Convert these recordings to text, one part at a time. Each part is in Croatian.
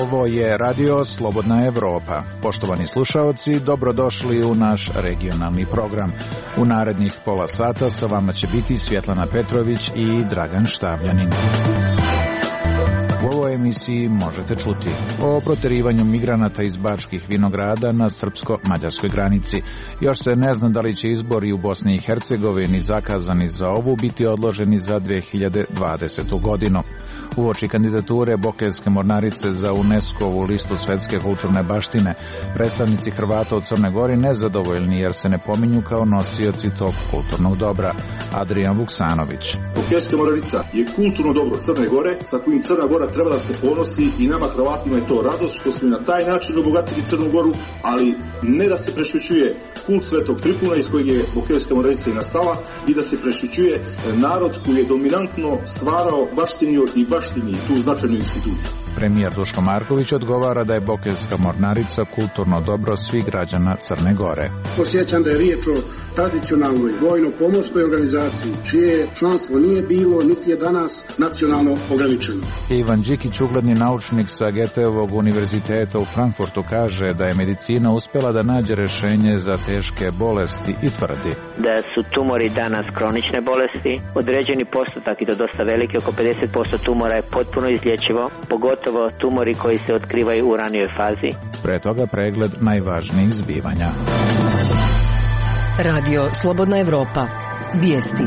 Ovo je Radio Slobodna Evropa. Poštovani slušaoci, dobrodošli u naš regionalni program. U narednih pola sata sa vama će biti Svjetlana Petrović i Dragan Štavljanin. U ovoj emisiji možete čuti o proterivanju migranata iz Bačkih Vinograda na srpsko-mađarskoj granici. Još se ne zna da li će izbori u Bosni i Hercegovini zakazani za ovu biti odloženi za 2020. godinu. Uoči kandidature Bokeljske mornarice za UNESCO-vu listu svetske kulturne baštine, predstavnici Hrvata u Crnoj Gori nezadovoljni jer se ne pominju kao nosioci tog kulturnog dobra. Adrijan Vuksanović. Bokeljska mornarica je kulturno dobro Crne Gore sa kojim Crna Gora treba da se ponosi i nama Hrvatima je to radost što smo na taj način obogatili Crnu Goru, ali ne da se prešućuje kult Svetog Tripuna iz kojeg je Bokeljska mornarica i nastala i da se prešućuje narod koji je dominantno stvarao, baštinio i baštini tu značajnu instituciju. Premijer Duško Marković odgovara da je Bokeljska mornarica kulturno dobro svih građana Crne Gore. Podsjećam da je riječ o tradicionalnoj vojno-pomorskoj organizaciji, čije članstvo nije bilo niti je danas nacionalno ograničeno. Ivan Đikić, ugledni naučnik sa Goetheovog univerziteta u Frankfurtu, kaže da je medicina uspjela da nađe rješenje za teške bolesti i tvrdi da su tumori danas kronične bolesti. Određeni postotak, i to dosta veliki, oko 50% tumora je potpuno izlječivo, pogotovo tumori koji se otkrivaju u ranijoj fazi. Pre toga pregled najvažnijih zbivanja. Radio Slobodna Evropa. Vijesti.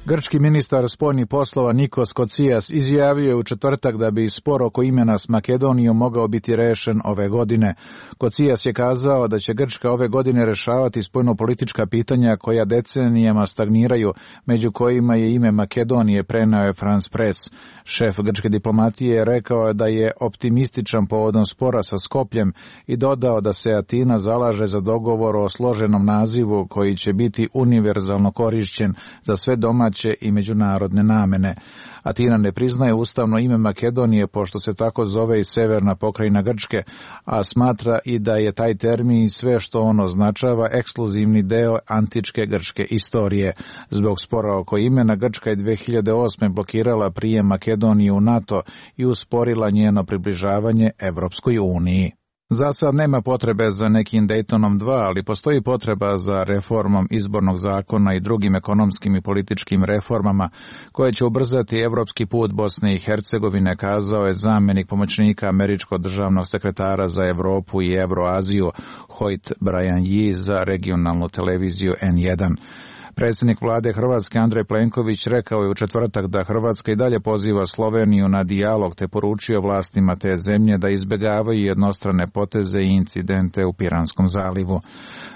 Grčki ministar spoljnih poslova Nikos Kocias izjavio je u četvrtak da bi spor oko imena s Makedonijom mogao biti rešen ove godine. Kocias je kazao da će Grčka ove godine rešavati spoljnopolitička pitanja koja decenijama stagniraju, među kojima je ime Makedonije, preneo je France Press. Šef grčke diplomatije je rekao da je optimističan povodom spora sa Skopljem i dodao da se Atina zalaže za dogovor o složenom nazivu koji će biti univerzalno korišćen za sve domaće i međunarodne namene. Atina ne priznaje ustavno ime Makedonije, pošto se tako zove i severna pokrajina Grčke, a smatra i da je taj termin i sve što on označava ekskluzivni deo antičke grčke istorije. Zbog spora oko imena, Grčka je 2008. blokirala prijem Makedonije u NATO i usporila njeno približavanje Evropskoj uniji. Za sad nema potrebe za nekim Daytonom 2, ali postoji potreba za reformom izbornog zakona i drugim ekonomskim i političkim reformama koje će ubrzati evropski put Bosne i Hercegovine, kazao je zamjenik pomoćnika američkog državnog sekretara za Evropu i Evroaziju Hoyt Brian Yee za regionalnu televiziju N1. Predsjednik vlade Hrvatske Andrej Plenković rekao je u četvrtak da Hrvatska i dalje poziva Sloveniju na dijalog te poručio vlastima te zemlje da izbjegavaju jednostrane poteze i incidente u Piranskom zalivu.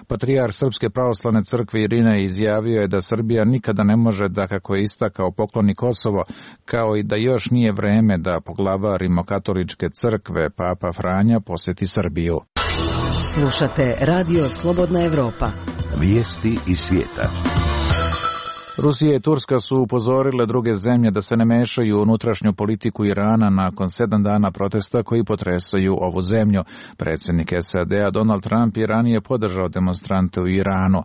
Patrijarh Srpske pravoslavne crkve Irinej izjavio je da Srbija nikada ne može da, kako je istakao, pokloni Kosovo, kao i da još nije vreme da poglavar Rimokatoličke crkve Papa Franja posjeti Srbiju. Slušate Radio Slobodna Evropa. Vijesti iz svijeta. Rusija i Turska su upozorile druge zemlje da se ne mešaju u unutrašnju politiku Irana nakon 7 dana protesta koji potresaju ovu zemlju. Predsjednik SAD-a Donald Trump je ranije podržao demonstrante u Iranu.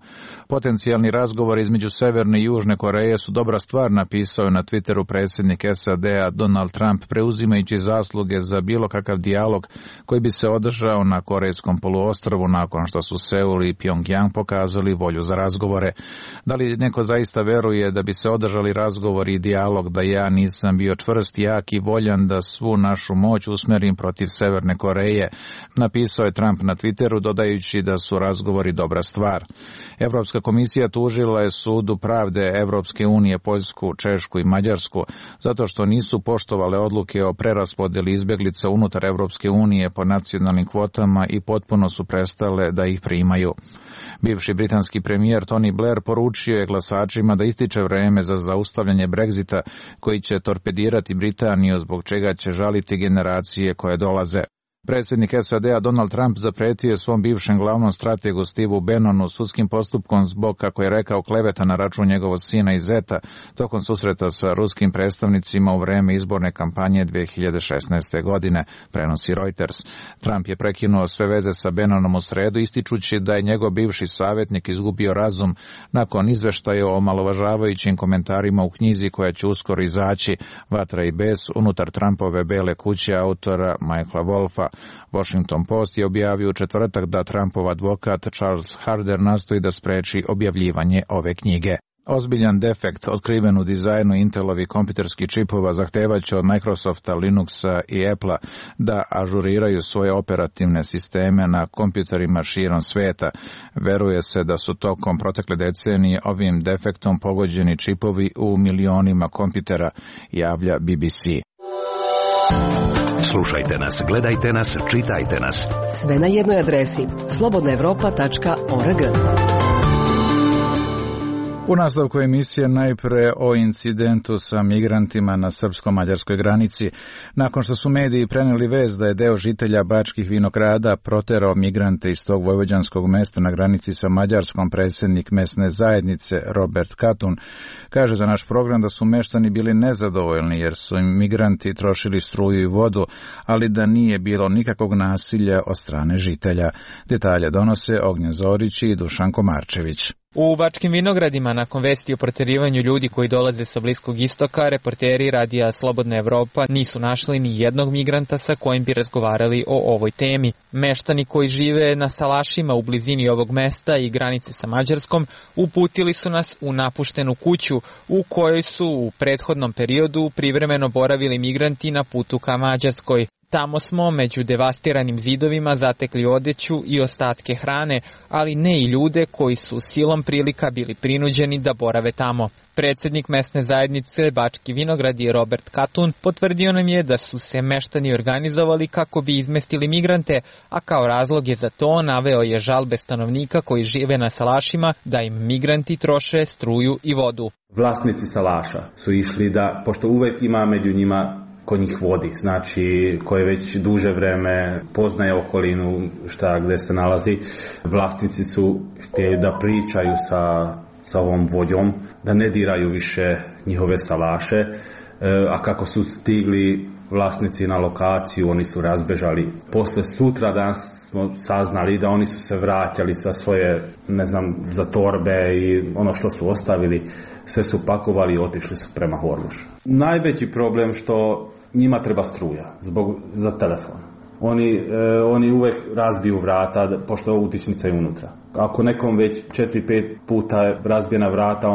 Potencijalni razgovor između Severne i Južne Koreje su dobra stvar, napisao je na Twitteru predsjednik SAD-a Donald Trump, preuzimajući zasluge za bilo kakav dijalog koji bi se održao na Korejskom poluostrvu nakon što su Seul i Pyongyang pokazali volju za razgovore. Da li neko zaista veruje da bi se održali razgovor i dijalog da ja nisam bio čvrst, jak i voljan da svu našu moć usmjerim protiv Severne Koreje, napisao je Trump na Twitteru, dodajući da su razgovori dobra stvar. Evropska komisija tužila je Sudu pravde Evropske unije Poljsku, Češku i Mađarsku zato što nisu poštovale odluke o preraspodjeli izbjeglica unutar Evropske unije po nacionalnim kvotama i potpuno su prestale da ih primaju. Bivši britanski premijer Tony Blair poručio je glasačima da ističe vreme za zaustavljanje Brexita koji će torpedirati Britaniju, zbog čega će žaliti generacije koje dolaze. Predsjednik SAD-a Donald Trump zapretio je svom bivšem glavnom strategu Steveu Bannonu sudskim postupkom zbog, kako je rekao, kleveta na račun njegovog sina i zeta tokom susreta sa ruskim predstavnicima u vreme izborne kampanje 2016. godine, prenosi Reuters. Trump je prekinuo sve veze sa Bannonom u sredu, ističući da je njegov bivši savjetnik izgubio razum nakon izveštaja o omalovažavajućim komentarima u knjizi koja će uskoro izaći, Vatra i bes, unutar Trumpove Bele kuće autora Michaela Wolfa. Washington Post je objavio u četvrtak da Trumpov advokat Charles Harder nastoji da spreči objavljivanje ove knjige. Ozbiljan defekt otkriven u dizajnu Intelovi kompjuterskih čipova zahtevaće od Microsofta, Linuxa i Apple-a da ažuriraju svoje operativne sisteme na kompjuterima širom sveta. Veruje se da su tokom protekle decenije ovim defektom pogođeni čipovi u milionima kompjutera, javlja BBC. Slušajte nas, gledajte nas, čitajte nas. Sve na jednoj adresi slobodnaevropa.org. U nastavku emisije najpre o incidentu sa migrantima na srpsko-mađarskoj granici. Nakon što su mediji preneli vest da je deo žitelja Bačkih Vinograda proterao migrante iz tog vojvođanskog mesta na granici sa Mađarskom, predsjednik mesne zajednice Robert Katun kaže za naš program da su meštani bili nezadovoljni jer su im migranti trošili struju i vodu, ali da nije bilo nikakvog nasilja od strane žitelja. Detalje donose Ognjen Zorić i Dušan Komarčević. U Bačkim Vinogradima, nakon vesti o proterivanju ljudi koji dolaze sa Bliskog istoka, reporteri radija Slobodna Evropa nisu našli ni jednog migranta sa kojim bi razgovarali o ovoj temi. Meštani koji žive na salašima u blizini ovog mesta i granice sa Mađarskom uputili su nas u napuštenu kuću u kojoj su u prethodnom periodu privremeno boravili migranti na putu ka Mađarskoj. Tamo smo među devastiranim zidovima zatekli odeću i ostatke hrane, ali ne i ljude koji su silom prilika bili prinuđeni da borave tamo. Predsjednik mesne zajednice Bački Vinogradi Robert Katun potvrdio nam je da su se meštani organizovali kako bi izmestili migrante, a kao razlog je za to naveo je žalbe stanovnika koji žive na salašima da im migranti troše struju i vodu. Vlasnici salaša su išli da, pošto uvek ima među njima ko njih vodi, znači koje već duže vreme poznaje okolinu šta gde se nalazi, vlasnici su htjeli da pričaju sa ovom vođom, da ne diraju više njihove salaše, a kako su stigli vlasnici na lokaciju, oni su razbežali. Posle sutra danas smo saznali da oni su se vraćali sa svoje, za torbe i ono što su ostavili, sve su pakovali i otišli su prema Horgošu. Najveći problem što njima treba struja za telefon. Oni uvek razbiju vrata, pošto utičnica je unutra. Ako nekom već 4-5 puta razbijena vrata,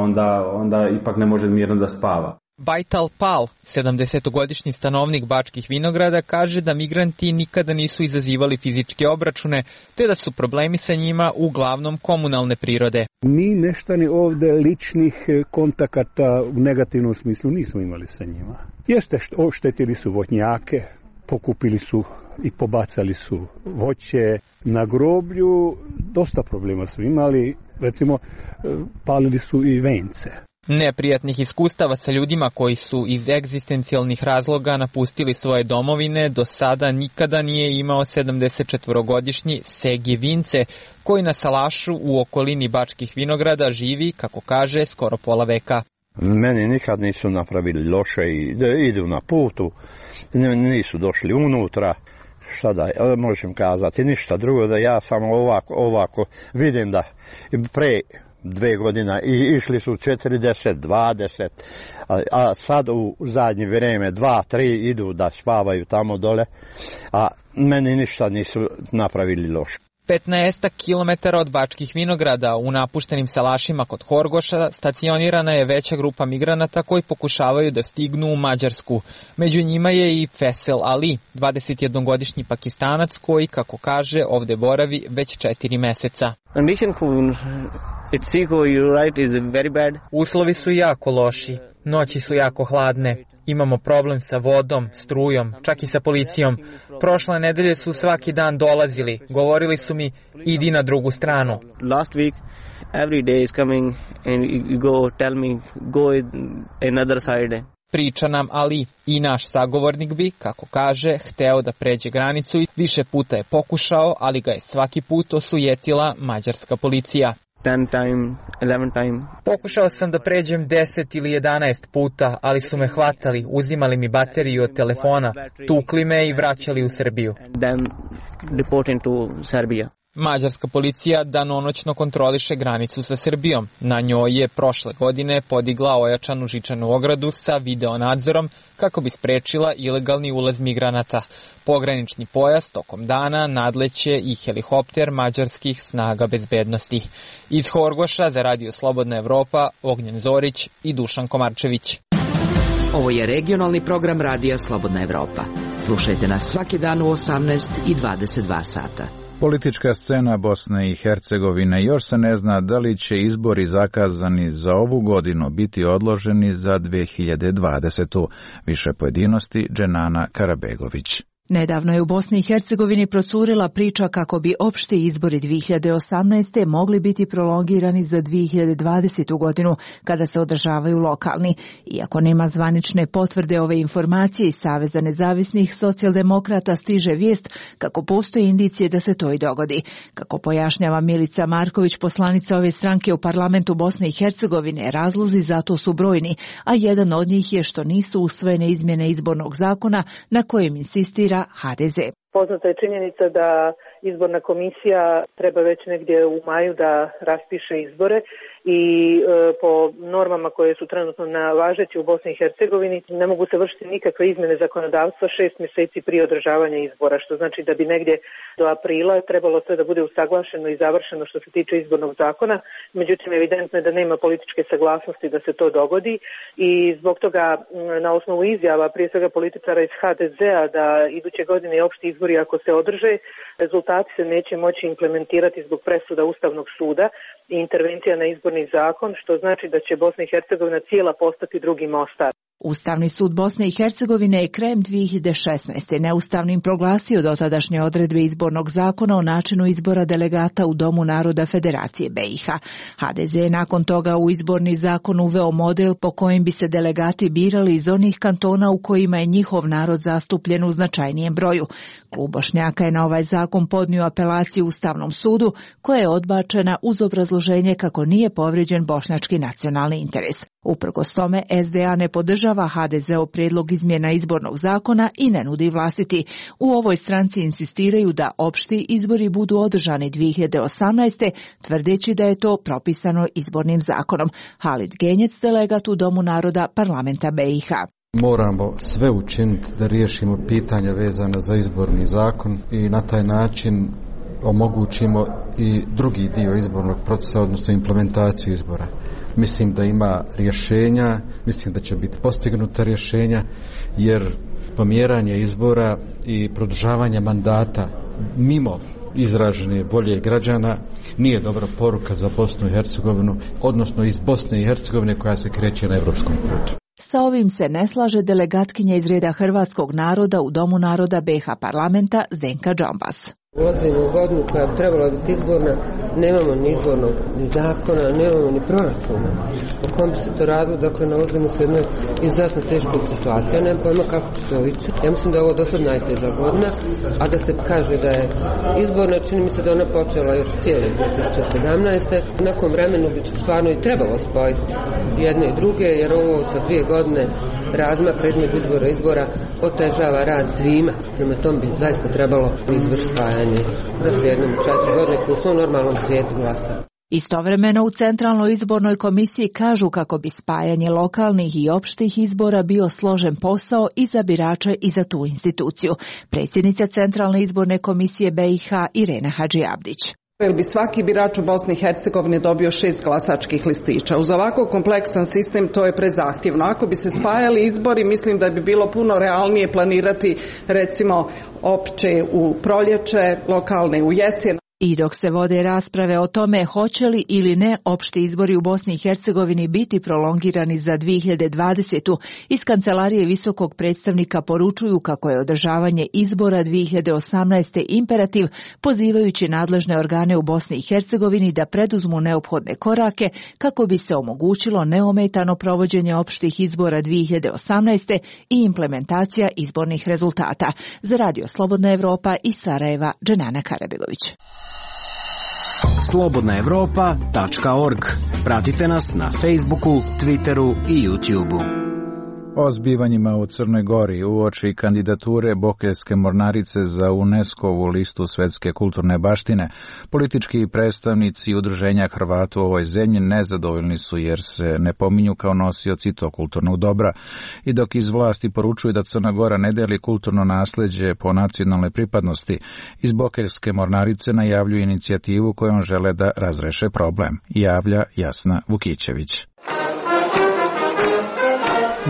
onda ipak ne može mirno da spava. Bajtal Pal, 70-godišnji stanovnik Bačkih Vinograda, kaže da migranti nikada nisu izazivali fizičke obračune, te da su problemi sa njima uglavnom komunalne prirode. Mi meštani ovde ličnih kontakata u negativnom smislu nismo imali sa njima. Jeste, oštetili su voćnjake, pokupili su i pobacali su voće na groblju, dosta problema su imali, recimo palili su i vence. Neprijatnih iskustava sa ljudima koji su iz egzistencijalnih razloga napustili svoje domovine do sada nikada nije imao 74-godišnji Segi Vince, koji na salašu u okolini Bačkih Vinograda živi, kako kaže, skoro pola veka. Meni nikad nisu napravili loše i da idu na putu, nisu došli unutra. Šta da možem kazati, ništa drugo, da ja samo ovako vidim da pre 2 godine i išli su 40, 20, a sad u zadnje vrijeme 2, 3 idu da spavaju tamo dole, a meni ništa nisu napravili loše. 15 kilometara od Bačkih Vinograda u napuštenim salašima kod Horgoša stacionirana je veća grupa migranata koji pokušavaju da stignu u Mađarsku. Među njima je i Fesel Ali, 21-godišnji Pakistanac koji, kako kaže, ovde boravi već 4 meseca. Uslovi su jako loši, noći su jako hladne. Imamo problem sa vodom, strujom, čak i sa policijom. Prošle nedelje su svaki dan dolazili. Govorili su mi, idi na drugu stranu. Last week, every day is coming and you go tell me, go another side. Priča nam Ali i naš sagovornik bi, kako kaže, hteo da pređe granicu i više puta je pokušao, ali ga je svaki put osujetila mađarska policija. 10 time, 11 time. Pokušao sam da pređem 10 ili 11 puta, ali su me hvatali, uzimali mi bateriju od telefona, tukli me i vraćali u Srbiju. Then deported to Serbia. Mađarska policija danonoćno kontroliše granicu sa Srbijom. Na njoj je prošle godine podigla ojačanu žičanu ogradu sa videonadzorom kako bi sprečila ilegalni ulaz migranata. Pogranični pojas tokom dana nadleće i helikopter mađarskih snaga bezbednosti. Iz Horgoša za Radio Slobodna Evropa, Ognjen Zorić i Dušan Komarčević. Ovo je regionalni program Radija Slobodna Evropa. Slušajte nas svaki dan u 18 i 22 sata. Politička scena Bosne i Hercegovine još se ne zna da li će izbori zakazani za ovu godinu biti odloženi za 2020. Više pojedinosti Dženana Karabegović. Nedavno je u Bosni i Hercegovini procurila priča kako bi opšti izbori 2018. mogli biti prolongirani za 2020. godinu kada se održavaju lokalni. Iako nema zvanične potvrde ove informacije iz Saveza nezavisnih socijaldemokrata stiže vijest kako postoji indicije da se to i dogodi. Kako pojašnjava Milica Marković, poslanica ove stranke u parlamentu Bosne i Hercegovine, razlozi za to su brojni, a jedan od njih je što nisu usvojene izmjene izbornog zakona na kojem insistira HDZ. Poznata je činjenica da izborna komisija treba već negdje u maju da raspiše izbore i po normama koje su trenutno važeće u Bosni i Hercegovini ne mogu se vršiti nikakve izmjene zakonodavstva 6 mjeseci prije održavanja izbora, što znači da bi negdje do aprila trebalo sve da bude usaglašeno i završeno što se tiče izbornog zakona. Međutim, evidentno je da nema političke saglasnosti da se to dogodi i zbog toga na osnovu izjava prije svega političara iz HDZ-a da iduće godine opšti izbori ako se održe, rezultati se neće moći implementirati zbog presuda Ustavnog suda i intervencija na izborni zakon, što znači da će Bosna i Hercegovina cijela postati drugi Mostar. Ustavni sud Bosne i Hercegovine je krajem 2016. neustavnim proglasio dotadašnje odredbe izbornog zakona o načinu izbora delegata u Domu naroda Federacije BiH. HDZ je nakon toga u izborni zakon uveo model po kojem bi se delegati birali iz onih kantona u kojima je njihov narod zastupljen u značajnijem broju. Klub Bošnjaka je na ovaj zakon podnio apelaciju Ustavnom sudu, koja je odbačena uz obrazloženje kako nije povrijeđen bošnjački nacionalni interes. Uprkos tome, SDA ne podržava HDZ-ov prijedlog izmjena izbornog zakona i ne nudi vlastiti. U ovoj stranci insistiraju da opšti izbori budu održani 2018. tvrdeći da je to propisano izbornim zakonom. Halid Genjec, delegat u Domu naroda parlamenta BiH. Moramo sve učiniti da riješimo pitanja vezana za izborni zakon i na taj način omogućimo i drugi dio izbornog procesa, odnosno implementaciju izbora. Mislim da ima rješenja, mislim da će biti postignuta rješenja, jer pomjeranje izbora i produžavanje mandata mimo izražene volje građana nije dobra poruka za Bosnu i Hercegovinu, odnosno iz Bosne i Hercegovine koja se kreće na evropskom putu. Sa ovim se ne slaže delegatkinja iz reda hrvatskog naroda u Domu naroda BiH parlamenta Zdenka Džambas. Ulazimo u godinu koja bi trebala biti izborna, nemamo ni izbornog ni zakona, nemamo ni proračuna. O kom bi se to radilo, dakle nalazimo se u jednoj izuzetno teškoj situaciji. Ja nemam pojma kako će se ovići. Ja mislim da je ovo dosad najteža godina, a da se kaže da je izborna, čini mi se da ona počela još cijele 2017. U nekom vremenu bi stvarno i trebalo spojiti jedne i druge, jer ovo sa 2 godine razmaka između izbora otežava rad svima. Prema tom bi zaista trebalo izvršiti spajanje, da se jednom 4 godine u svom normalnom svijetu glasa. Istovremeno u Centralnoj izbornoj komisiji kažu kako bi spajanje lokalnih i opštih izbora bio složen posao i za birače i za tu instituciju. Predsjednica Centralne izborne komisije BiH Irena Hadžiabdić. Jer bi svaki birač u Bosni i Hercegovini dobio 6 glasačkih listića. Uz ovako kompleksan sistem to je prezahtjevno. Ako bi se spajali izbori, mislim da bi bilo puno realnije planirati recimo opće u proljeće, lokalne u jesen. I dok se vode rasprave o tome hoće li ili ne opšti izbori u Bosni i Hercegovini biti prolongirani za 2020. iz Kancelarije visokog predstavnika poručuju kako je održavanje izbora 2018. imperativ, pozivajući nadležne organe u Bosni i Hercegovini da preduzmu neophodne korake kako bi se omogućilo neometano provođenje opštih izbora 2018. i implementacija izbornih rezultata. Za Radio Slobodna Evropa iz Sarajeva, Dženana Karabegović. slobodnaevropa.org. Pratite nas na Facebooku, Twitteru i YouTubeu. O zbivanjima u Crnoj Gori uoči kandidature Bokeljske mornarice za UNESCO-vu listu svetske kulturne baštine, politički predstavnici udruženja Hrvata u ovoj zemlji nezadovoljni su jer se ne pominju kao nosioci tog kulturnog dobra. I dok iz vlasti poručuju da Crna Gora ne deli kulturno nasleđe po nacionalnoj pripadnosti, iz Bokeljske mornarice najavljuju inicijativu kojom žele da razreše problem, javlja Jasna Vukićević.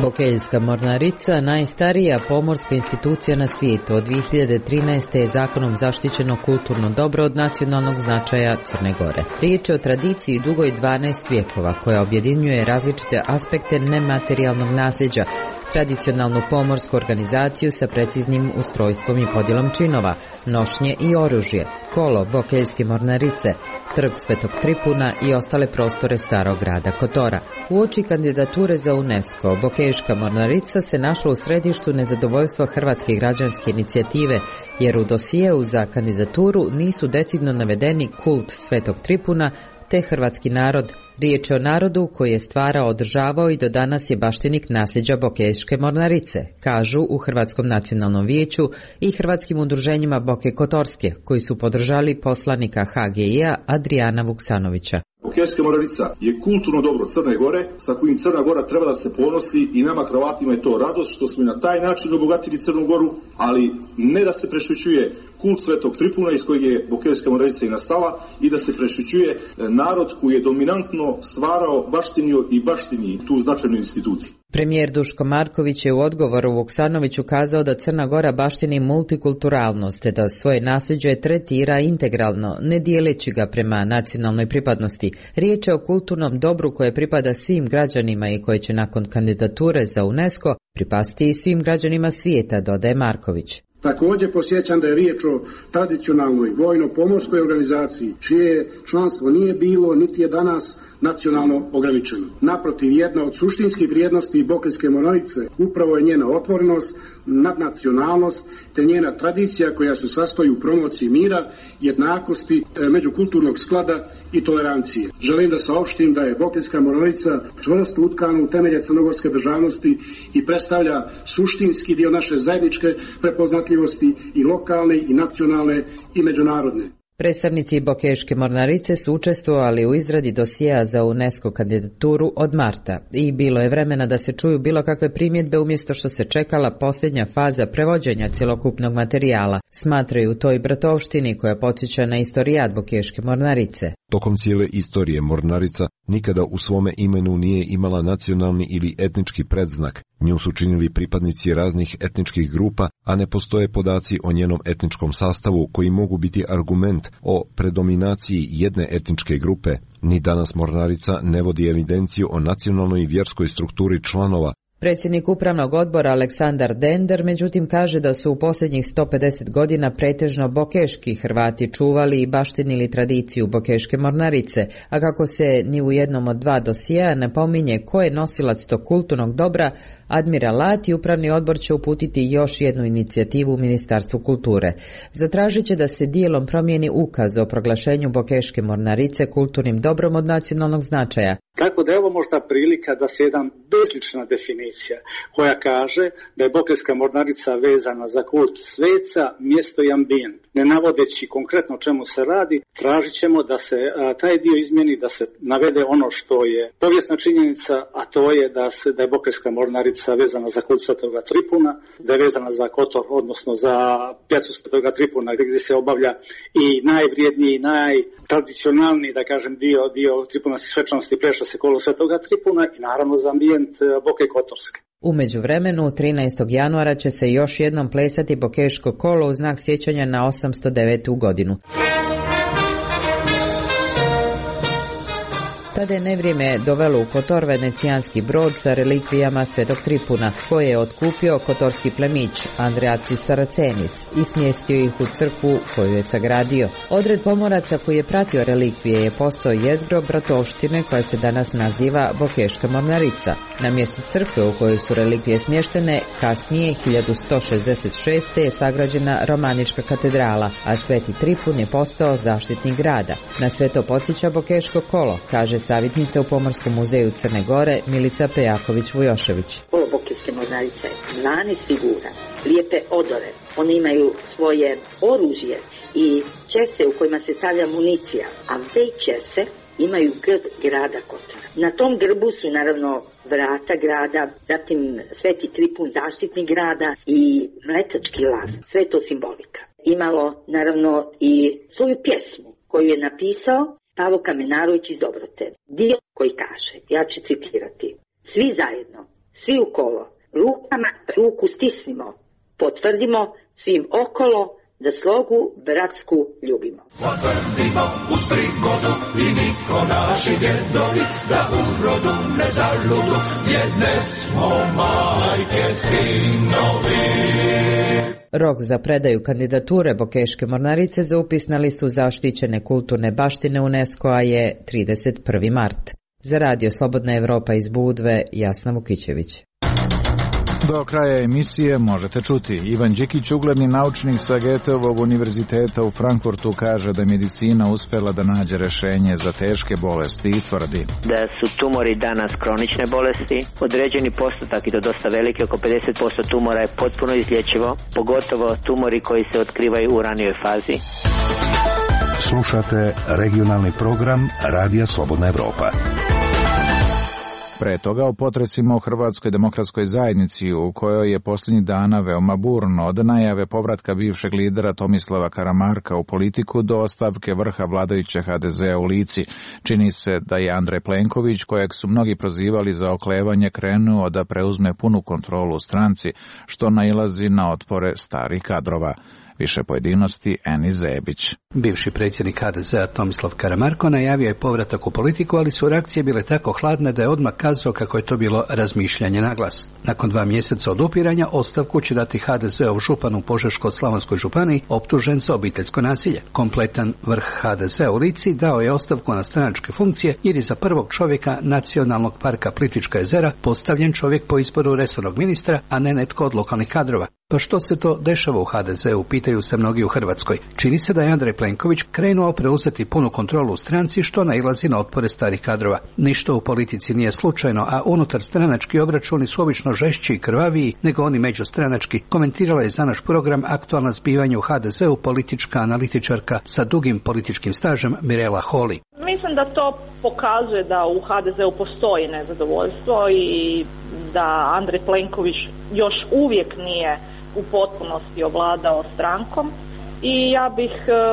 Bokeljska mornarica, najstarija pomorska institucija na svijetu, od 2013. je zakonom zaštićeno kulturno dobro od nacionalnog značaja Crne Gore. Riječ je o tradiciji dugoj 12 vijekova koja objedinjuje različite aspekte nematerijalnog nasljeđa, tradicionalnu pomorsku organizaciju sa preciznim ustrojstvom i podjelom činova, nošnje i oružje, kolo Bokeljske mornarice, trg Svetog Tripuna i ostale prostore starog grada Kotora. Uoči kandidature za UNESCO, Bokeljska mornarica se našla u središtu nezadovoljstva Hrvatske građanske inicijative, jer u dosijeu za kandidaturu nisu decidno navedeni kult Svetog Tripuna te hrvatski narod. Riječ je o narodu koji je stvarao, održavao i do danas je baštinik nasljeđa Bokeljske mornarice, kažu u Hrvatskom nacionalnom vijeću i hrvatskim udruženjima Boke Kotorske, koji su podržali poslanika HGI-a Adrijana Vuksanovića. Bokeljska mornarica je kulturno dobro Crne Gore, sa kojim Crna Gora treba da se ponosi i nama Hrvatima je to radost što smo na taj način obogatili Crnu Goru, ali ne da se prešućuje kult Svetog Tripuna iz kojeg je Bokeljska mornarica i nastala i da se prešućuje narod koji je dominantno stvarao, baštinio i baštini tu značajnu instituciju. Premijer Duško Marković je u odgovoru Vuksanoviću kazao da Crna Gora baštini multikulturalnost, te da svoje nasljeđe tretira integralno, ne dijeleći ga prema nacionalnoj pripadnosti. Riječ je o kulturnom dobru koje pripada svim građanima i koje će nakon kandidature za UNESCO pripasti i svim građanima svijeta, dodaje Marković. Također posjećam da je riječ o tradicionalnoj vojno-pomorskoj organizaciji, čije članstvo nije bilo niti je danas nacionalno ograničeno. Naprotiv, jedna od suštinskih vrijednosti Bokeljske mornarice upravo je njena otvorenost, nadnacionalnost te njena tradicija koja se sastoji u promociji mira, jednakosti, međukulturnog sklada i tolerancije. Želim da saopštim da je Bokeljska mornarica čvrsto utkana u temelje crnogorske državnosti i predstavlja suštinski dio naše zajedničke prepoznatljivosti i lokalne i nacionalne i međunarodne. Predstavnici Bokeljske mornarice su učestvovali u izradi dosjea za UNESCO kandidaturu od marta i bilo je vremena da se čuju bilo kakve primjedbe umjesto što se čekala posljednja faza prevođenja cjelokupnog materijala, smatraju u toj bratovštini koja podsjeća na istorijat Bokeljske mornarice. Tokom cijele istorije mornarica nikada u svome imenu nije imala nacionalni ili etnički predznak. Nju su činili pripadnici raznih etničkih grupa, a ne postoje podaci o njenom etničkom sastavu koji mogu biti argument o predominaciji jedne etničke grupe. Ni danas mornarica ne vodi evidenciju o nacionalnoj i vjerskoj strukturi članova. Predsjednik upravnog odbora Aleksandar Dender međutim kaže da su u posljednjih 150 godina pretežno bokeški Hrvati čuvali i baštinili tradiciju Bokeljske mornarice, a kako se ni u jednom od dva dosjea ne pominje ko je nosilac tog kulturnog dobra, Admiralat i upravni odbor će uputiti još jednu inicijativu u Ministarstvu kulture. Zatražit će da se dijelom promijeni ukaz o proglašenju Bokeljske mornarice kulturnim dobrom od nacionalnog značaja. Tako da je ovo možda prilika da se jedan bezlična definicija koja kaže da je Bokeljska mornarica vezana za kult sveca, mjesto i ambijent. Ne navodeći konkretno čemu se radi, tražit ćemo da se taj dio izmjeni, da se navede ono što je povijesna činjenica, a to je da je Bokeljska mornarica vezana za kult Svetoga Tripuna, da je vezana za Kotor, odnosno za pjacu Svetoga Tripuna, gdje se obavlja i najvrijedniji, najtradicionalniji, da kažem, dio tripunanskih svečanosti pleša se kolo Svetoga Tripuna i naravno za ambijent Boke Kotorske. U međuvremenu, 13. januara će se još jednom plesati Bokeljsko kolo u znak sjećanja na 809. godinu. Sada je nevrijeme dovelo u Kotor venecijanski brod sa relikvijama Svetog Tripuna, koje je otkupio kotorski plemić Andreacis Saracenis i smjestio ih u crkvu koju je sagradio. Odred pomoraca koji je pratio relikvije je postao jezgro bratovštine koja se danas naziva Bokeška mornarica. Na mjestu crkve u kojoj su relikvije smještene, kasnije 1166. je sagrađena romanička katedrala, a Sveti Tripun je postao zaštitnik grada. Na sve to podsjeća Bokeško kolo, kaže savjetnica u Pomorskom muzeju Crne Gore Milica Pejaković-Vujošević. Kolo Bokeske mornarice je lani siguran, lijepe odore, oni imaju svoje oružje i čese u kojima se stavlja municija, a već čese imaju grb grada Kotora. Na tom grbu su naravno vrata grada, zatim Sveti Tripun, zaštitnik grada i mletački lav, sve to simbolika. Imalo naravno i svoju pjesmu koju je napisao Pavo Kamenarović iz Dobrote. Dio koji kaže, ja ću citirati: svi zajedno, svi u kolo, rukama ruku stisnimo, potvrdimo svim okolo da slogu bratsku ljubimo. Potvrdimo uz prigodu i niko naši djedovi, da u rodu ne zaludu, jedne smo majke sinovi. Rok za predaju kandidature Bokeške mornarice za upis na listu zaštićene kulturne baštine UNESCO-a je 31. mart. Za Radio Slobodna Evropa iz Budve, Jasna Vukićević. Do kraja emisije možete čuti. Ivan Đikić, ugledni naučnik sa Goetheovog univerziteta u Frankfurtu, kaže da je medicina uspjela da nađe rješenje za teške bolesti i tvrdi da su tumori danas kronične bolesti. Određeni postotak, i to dosta veliki, oko 50% tumora je potpuno izlječivo, pogotovo tumori koji se otkrivaju u ranijoj fazi. Slušate regionalni program Radija Slobodna Evropa. Pre toga o potresima u Hrvatskoj demokratskoj zajednici, u kojoj je posljednjih dana veoma burno, od najave povratka bivšeg lidera Tomislava Karamarka u politiku do ostavke vrha vladajuće HDZ-a u Lici. Čini se da je Andrej Plenković, kojeg su mnogi prozivali za oklevanje, krenuo da preuzme punu kontrolu u stranci, što nailazi na otpore starih kadrova. Više pojedinosti Eni Zebić. Bivši predsjednik HDZ-a Tomislav Karamarko najavio je povratak u politiku, ali su reakcije bile tako hladne da je odmah kazao kako je to bilo razmišljanje na glas. Nakon 2 mjeseca odupiranja ostavku će dati HDZ-ov župan u Požeško-slavonskoj županiji optužen za obiteljsko nasilje. Kompletan vrh HDZ-a u Lici dao je ostavku na stranačke funkcije jer je za prvog čovjeka Nacionalnog parka Plitvička jezera postavljen čovjek po izboru resornog ministra, a ne netko od lokalnih kadrova. Pa što se to dešava u HDZ-u, pitaju se mnogi u Hrvatskoj. Čini se da je Andrej Plenković krenuo preuzeti punu kontrolu u stranci, što nailazi na otpore starih kadrova. Ništa u politici nije slučajno, a unutar stranački obračuni su obično žešći i krvaviji nego oni međustranački, komentirala je za naš program Aktualna zbivanja u HDZ-u politička analitičarka sa dugim političkim stažem Mirela Holy. Mislim da to pokazuje da u HDZ-u postoji nezadovoljstvo i da Andrej Plenković još uvijek nije u potpunosti ovladao strankom i ja bih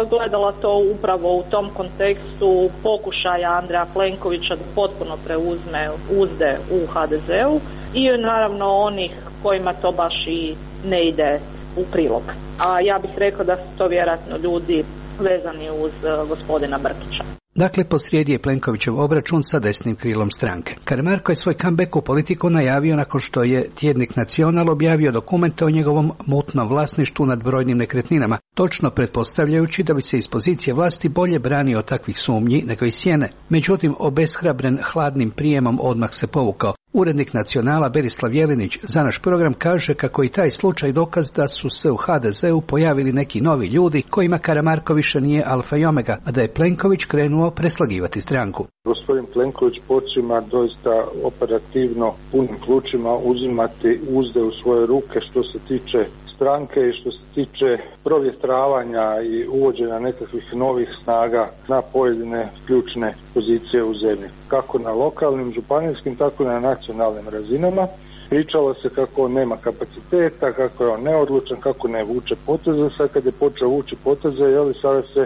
gledala to upravo u tom kontekstu pokušaja Andreja Plenkovića da potpuno preuzme uzde u HDZ-u i naravno onih kojima to baš i ne ide u prilog. A ja bih rekla da su to vjerojatno ljudi vezani uz gospodina Brkića. Dakle, posrijedi je Plenkovićev obračun sa desnim krilom stranke. Karamarko je svoj comeback u politiku najavio nakon što je tjednik Nacional objavio dokumente o njegovom mutnom vlasništvu nad brojnim nekretninama, točno pretpostavljajući da bi se iz pozicije vlasti bolje branio od takvih sumnji nego i sjene. Međutim, obeshrabren hladnim prijemom odmah se povukao. Urednik Nacionala Berislav Jelinić za naš program kaže kako i taj slučaj dokaz da su se u HDZ-u pojavili neki novi ljudi kojima Karamarko više nije alfa i omega, a da je Plenković krenuo preslagivati stranku. Gospodin Plenković počima doista operativno punim plućima uzimati uzde u svoje ruke što se tiče stranke i što se tiče provjetravanja i uvođenja nekakvih novih snaga na pojedine ključne pozicije u zemlji. Kako na lokalnim, županijskim, tako i na nacionalnim razinama. Pričalo se kako on nema kapaciteta, kako je on neodlučan, kako ne vuče poteze. Sad kad je počeo vući poteze, sada se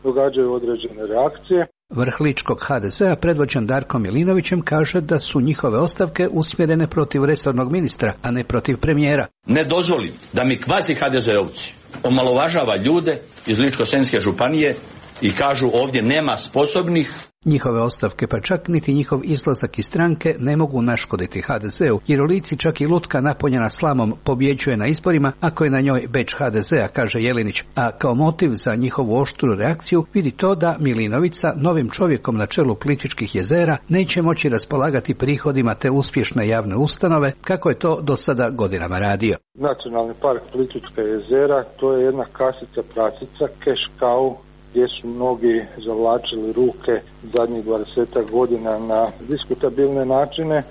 događaju određene reakcije. Vrh ličkog HDZ-a predvođen Darkom Milinovićem kaže da su njihove ostavke usmjerene protiv resornog ministra, a ne protiv premijera. Ne dozvolim da mi kvazi HDZ-ovci omalovažava ljude iz Ličko-senjske županije i kažu ovdje nema sposobnih Njihove ostavke, pa čak niti njihov izlazak iz stranke ne mogu naškoditi HDZ-u, jer u Lici čak i lutka napunjena slamom pobjeđuje na izborima ako je na njoj bedž HDZ-a, kaže Jelinić, a kao motiv za njihovu oštru reakciju vidi to da Milinovica, novim čovjekom na čelu Plitvičkih jezera, neće moći raspolagati prihodima te uspješne javne ustanove, kako je to do sada godinama radio. Nacionalni park Plitvička jezera, to je jedna kasica prasica, cash cow, gdje su mnogi zavlačili ruke zadnjih 20 godina na diskutabilne načine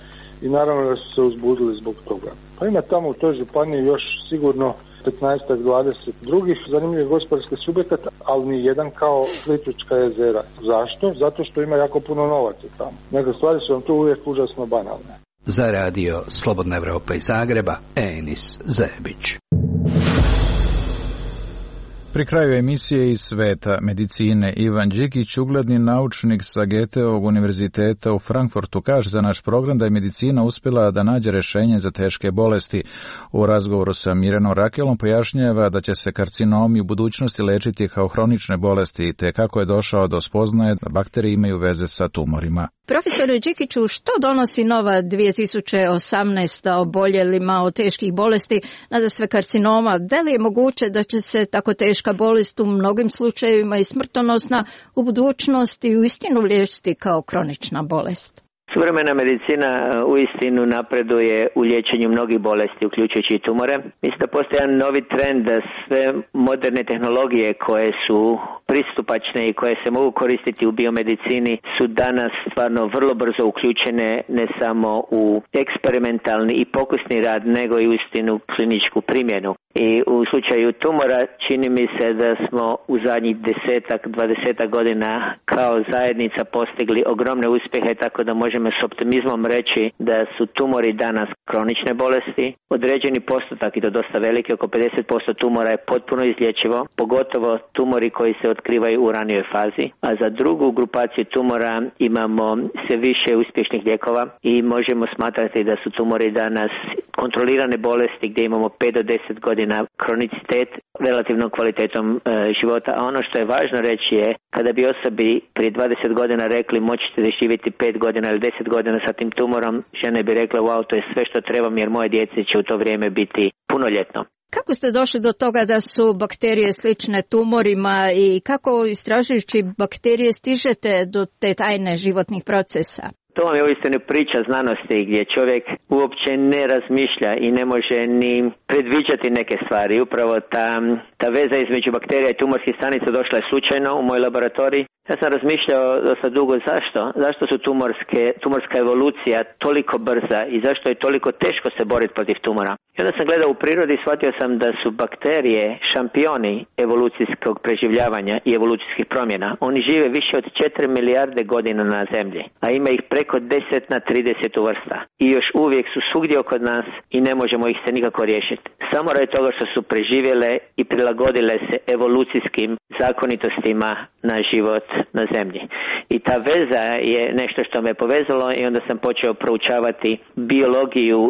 i naravno da su se uzbudili zbog toga. Pa ima tamo u toj županiji još sigurno 15-20 drugih zanimljivih gospodarskih subjekata, ali ni jedan kao Plitvička jezera. Zašto? Zato što ima jako puno novaca tamo. Neke stvari su vam tu uvijek užasno banalne. Za radio Slobodna Evropa iz Zagreba, Enis Zebić. Pri kraju emisije iz sveta medicine Ivan Đikić, ugledni naučnik sa Goetheovog univerziteta u Frankfurtu, kaže za naš program da je medicina uspjela da nađe rješenje za teške bolesti. U razgovoru sa Mirenom Rakelom pojašnjava da će se karcinomi u budućnosti lečiti kao hronične bolesti, te kako je došao do spoznaje da bakterije imaju veze sa tumorima. Profesore Đikiću, što donosi nova 2018. oboljelima od teških bolesti, nadasve karcinoma? Da li je moguće da će se tako teška bolest u mnogim slučajevima i smrtonosna u budućnosti uistinu liječiti kao kronična bolest? Suvremena medicina uistinu napreduje u liječenju mnogih bolesti, uključujući i tumore. Mislim da postoji jedan novi trend da sve moderne tehnologije koje su pristupačne i koje se mogu koristiti u biomedicini su danas stvarno vrlo brzo uključene ne samo u eksperimentalni i pokusni rad, nego i uistinu kliničku primjenu. I u slučaju tumora čini mi se da smo u zadnjih 10-20 godina kao zajednica postigli ogromne uspjehe, tako da možemo s optimizmom reći da su tumori danas kronične bolesti. Određeni postotak, i to dosta veliki, oko 50% tumora je potpuno izlječivo, pogotovo tumori koji se otkrivaju u ranijoj fazi. A za drugu grupaciju tumora imamo sve više uspješnih lijekova i možemo smatrati da su tumori danas kontrolirane bolesti gdje imamo 5 do 10 godina kronicitet relativnom kvalitetom života. A ono što je važno reći je, kada bi osobi prije 20 godina rekli moćete da živjeti 5 godina ili 10 godina sa tim tumorom, žene bi rekle wow, to je sve što trebam jer moje djece će u to vrijeme biti punoljetno. Kako ste došli do toga da su bakterije slične tumorima i kako istražujući bakterije stižete do te tajne životnih procesa? To vam je uistinu priča znanosti gdje čovjek uopće ne razmišlja i ne može ni predviđati neke stvari. Upravo ta veza između bakterija i tumorskih stanica došla je slučajno u moj laboratorij. Ja sam razmišljao dosta dugo zašto su tumorska evolucija toliko brza i zašto je toliko teško se boriti protiv tumora. I onda sam gledao u prirodi i shvatio sam da su bakterije šampioni evolucijskog preživljavanja i evolucijskih promjena. Oni žive više od 4 milijarde godina na zemlji, a ima ih preko 10 na 30 vrsta. I još uvijek su svugdje oko nas i ne možemo ih se nikako riješiti. Samo radi toga što su preživjele i prilagodile se evolucijskim zakonitostima na život na zemlji. I ta veza je nešto što me povezalo i onda sam počeo proučavati biologiju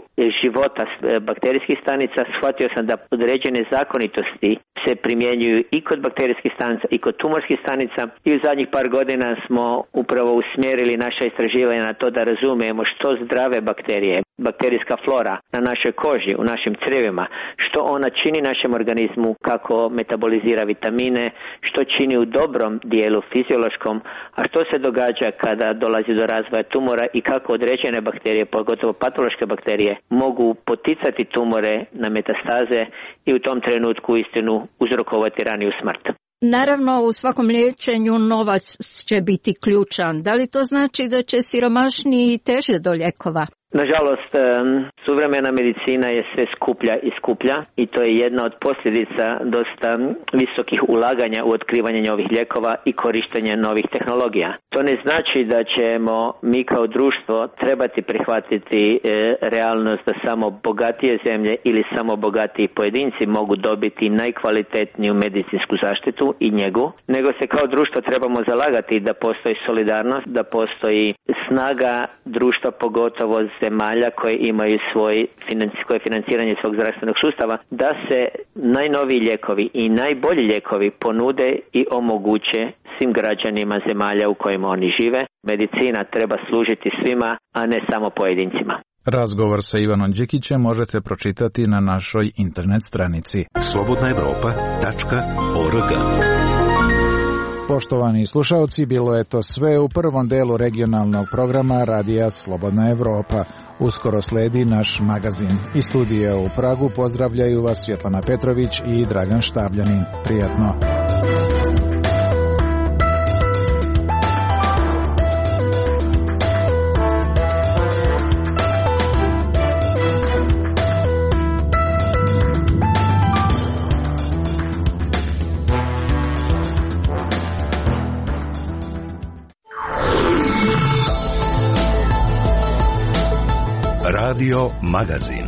života bakterijskih stanica. Shvatio sam da određene zakonitosti se primjenjuju i kod bakterijskih stanica i kod tumorskih stanica i u zadnjih par godina smo upravo usmjerili naša istraživanja na to da razumijemo što zdrave bakterije, bakterijska flora na našoj koži, u našim crijevima, što ona čini našem organizmu, kako metabolizira vitamine, što čini u dobrom dijelu fiziološkom, a što se događa kada dolazi do razvoja tumora i kako određene bakterije, pogotovo patološke bakterije, mogu poticati tumore na metastaze i u tom trenutku istinu uzrokovati raniju smrt. Naravno, u svakom liječenju novac će biti ključan. Da li to znači da će siromašniji teže do lijekova? Nažalost, suvremena medicina je sve skuplja i skuplja i to je jedna od posljedica dosta visokih ulaganja u otkrivanje novih lijekova i korištenje novih tehnologija. To ne znači da ćemo mi kao društvo trebati prihvatiti realnost da samo bogatije zemlje ili samo bogatiji pojedinci mogu dobiti najkvalitetniju medicinsku zaštitu i njegu, nego se kao društvo trebamo zalagati da postoji solidarnost, da postoji snaga društva, pogotovo zemalja koje imaju koje financiranje svog zdravstvenog sustava, da se najnoviji lijekovi i najbolji lijekovi ponude i omoguće svim građanima zemalja u kojima oni žive. Medicina treba služiti svima, a ne samo pojedincima. Razgovor sa Ivanom Đikićem možete pročitati na našoj internet stranici slobodnaevropa.org. Poštovani slušalci, bilo je to sve u prvom delu regionalnog programa Radija Slobodna Evropa. Uskoro sledi naš magazin. Iz studija u Pragu pozdravljaju vas Svjetlana Petrović i Dragan Štabljanin. Prijatno. Radio Magazin.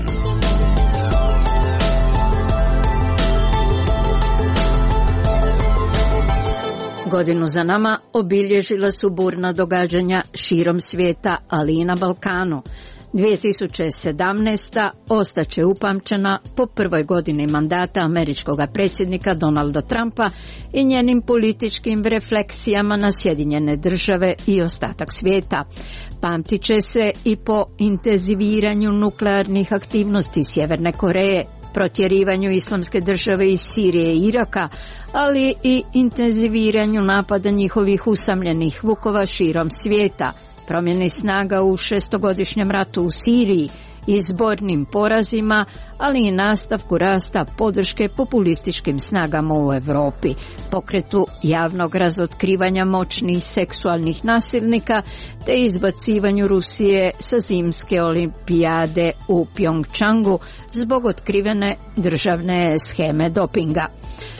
Godinu za nama obilježila su burna događanja širom svijeta, ali i na Balkanu. 2017. ostaće upamćena po prvoj godini mandata američkog predsjednika Donalda Trumpa i njenim političkim refleksijama na Sjedinjene Države i ostatak svijeta. Pamtit će se i po intenziviranju nuklearnih aktivnosti Sjeverne Koreje, protjerivanju Islamske države iz Sirije i Iraka, ali i intenziviranju napada njihovih usamljenih vukova širom svijeta, promjeni snaga u šestogodišnjem ratu u Siriji, izbornim porazima, ali i nastavku rasta podrške populističkim snagama u Europi, pokretu javnog razotkrivanja moćnih seksualnih nasilnika te izbacivanju Rusije sa zimske olimpijade u Pjongčangu zbog otkrivene državne sheme dopinga.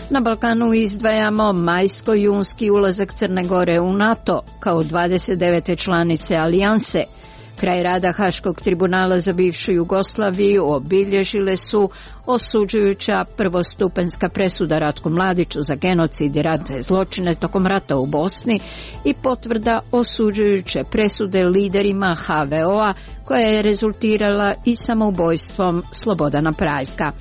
Na Balkanu izdvajamo majsko-junski ulazak Crne Gore u NATO kao 29. članice alijanse. Kraj rada Haškog tribunala za bivšu Jugoslaviju obilježile su osuđujuća prvostupanjska presuda Ratku Mladiću za genocid i ratne zločine tokom rata u Bosni i potvrda osuđujuće presude liderima HVO-a koja je rezultirala i samoubojstvom Slobodana Praljka.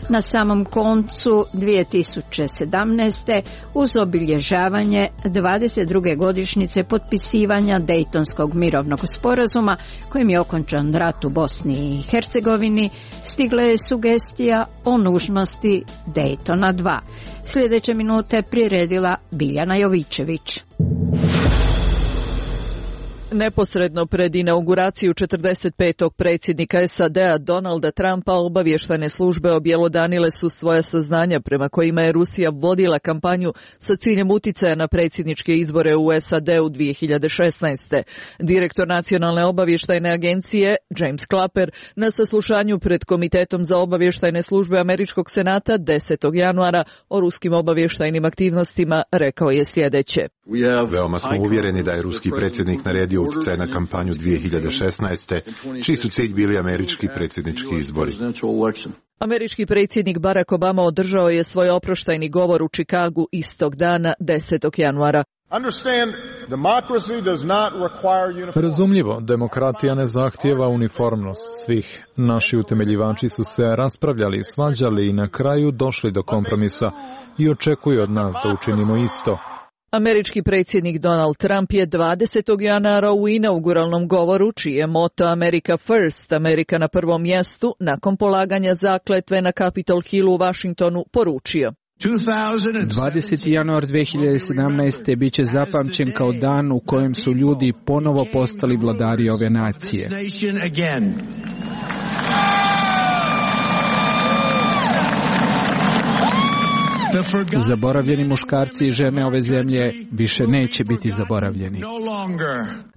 Na samom koncu 2017. uz obilježavanje 22. godišnjice potpisivanja Dejtonskog mirovnog sporazuma kojim je okončan rat u Bosni i Hercegovini, stigla je sugestija o nužnosti Dejtona 2. Sljedeće minute priredila Biljana Jovićević. Neposredno pred inauguraciju 45. predsjednika SAD-a Donalda Trumpa obavještajne službe objelodanile su svoja saznanja prema kojima je Rusija vodila kampanju sa ciljem uticaja na predsjedničke izbore u SAD-u 2016. Direktor Nacionalne obavještajne agencije James Clapper na saslušanju pred Komitetom za obavještajne službe Američkog senata 10. januara o ruskim obavještajnim aktivnostima rekao je sljedeće. Veoma smo uvjereni da je ruski predsjednik naredio utjecaj na kampanju 2016. čiji su cilj bili američki predsjednički izbori. Američki predsjednik Barack Obama održao je svoj oproštajni govor u Čikagu istog dana 10. januara. Razumljivo, demokratija ne zahtijeva uniformnost svih. Naši utemeljivači su se raspravljali, svađali i na kraju došli do kompromisa i očekuju od nas da učinimo isto. Američki predsjednik Donald Trump je 20. januara u inauguralnom govoru, čiji je moto America First, Amerika na prvom mjestu, nakon polaganja zakletve na Capitol Hillu u Washingtonu, poručio. 20. januar 2017. bit će zapamćen kao dan u kojem su ljudi ponovo postali vladari ove nacije. Zaboravljeni muškarci i žene ove zemlje više neće biti zaboravljeni.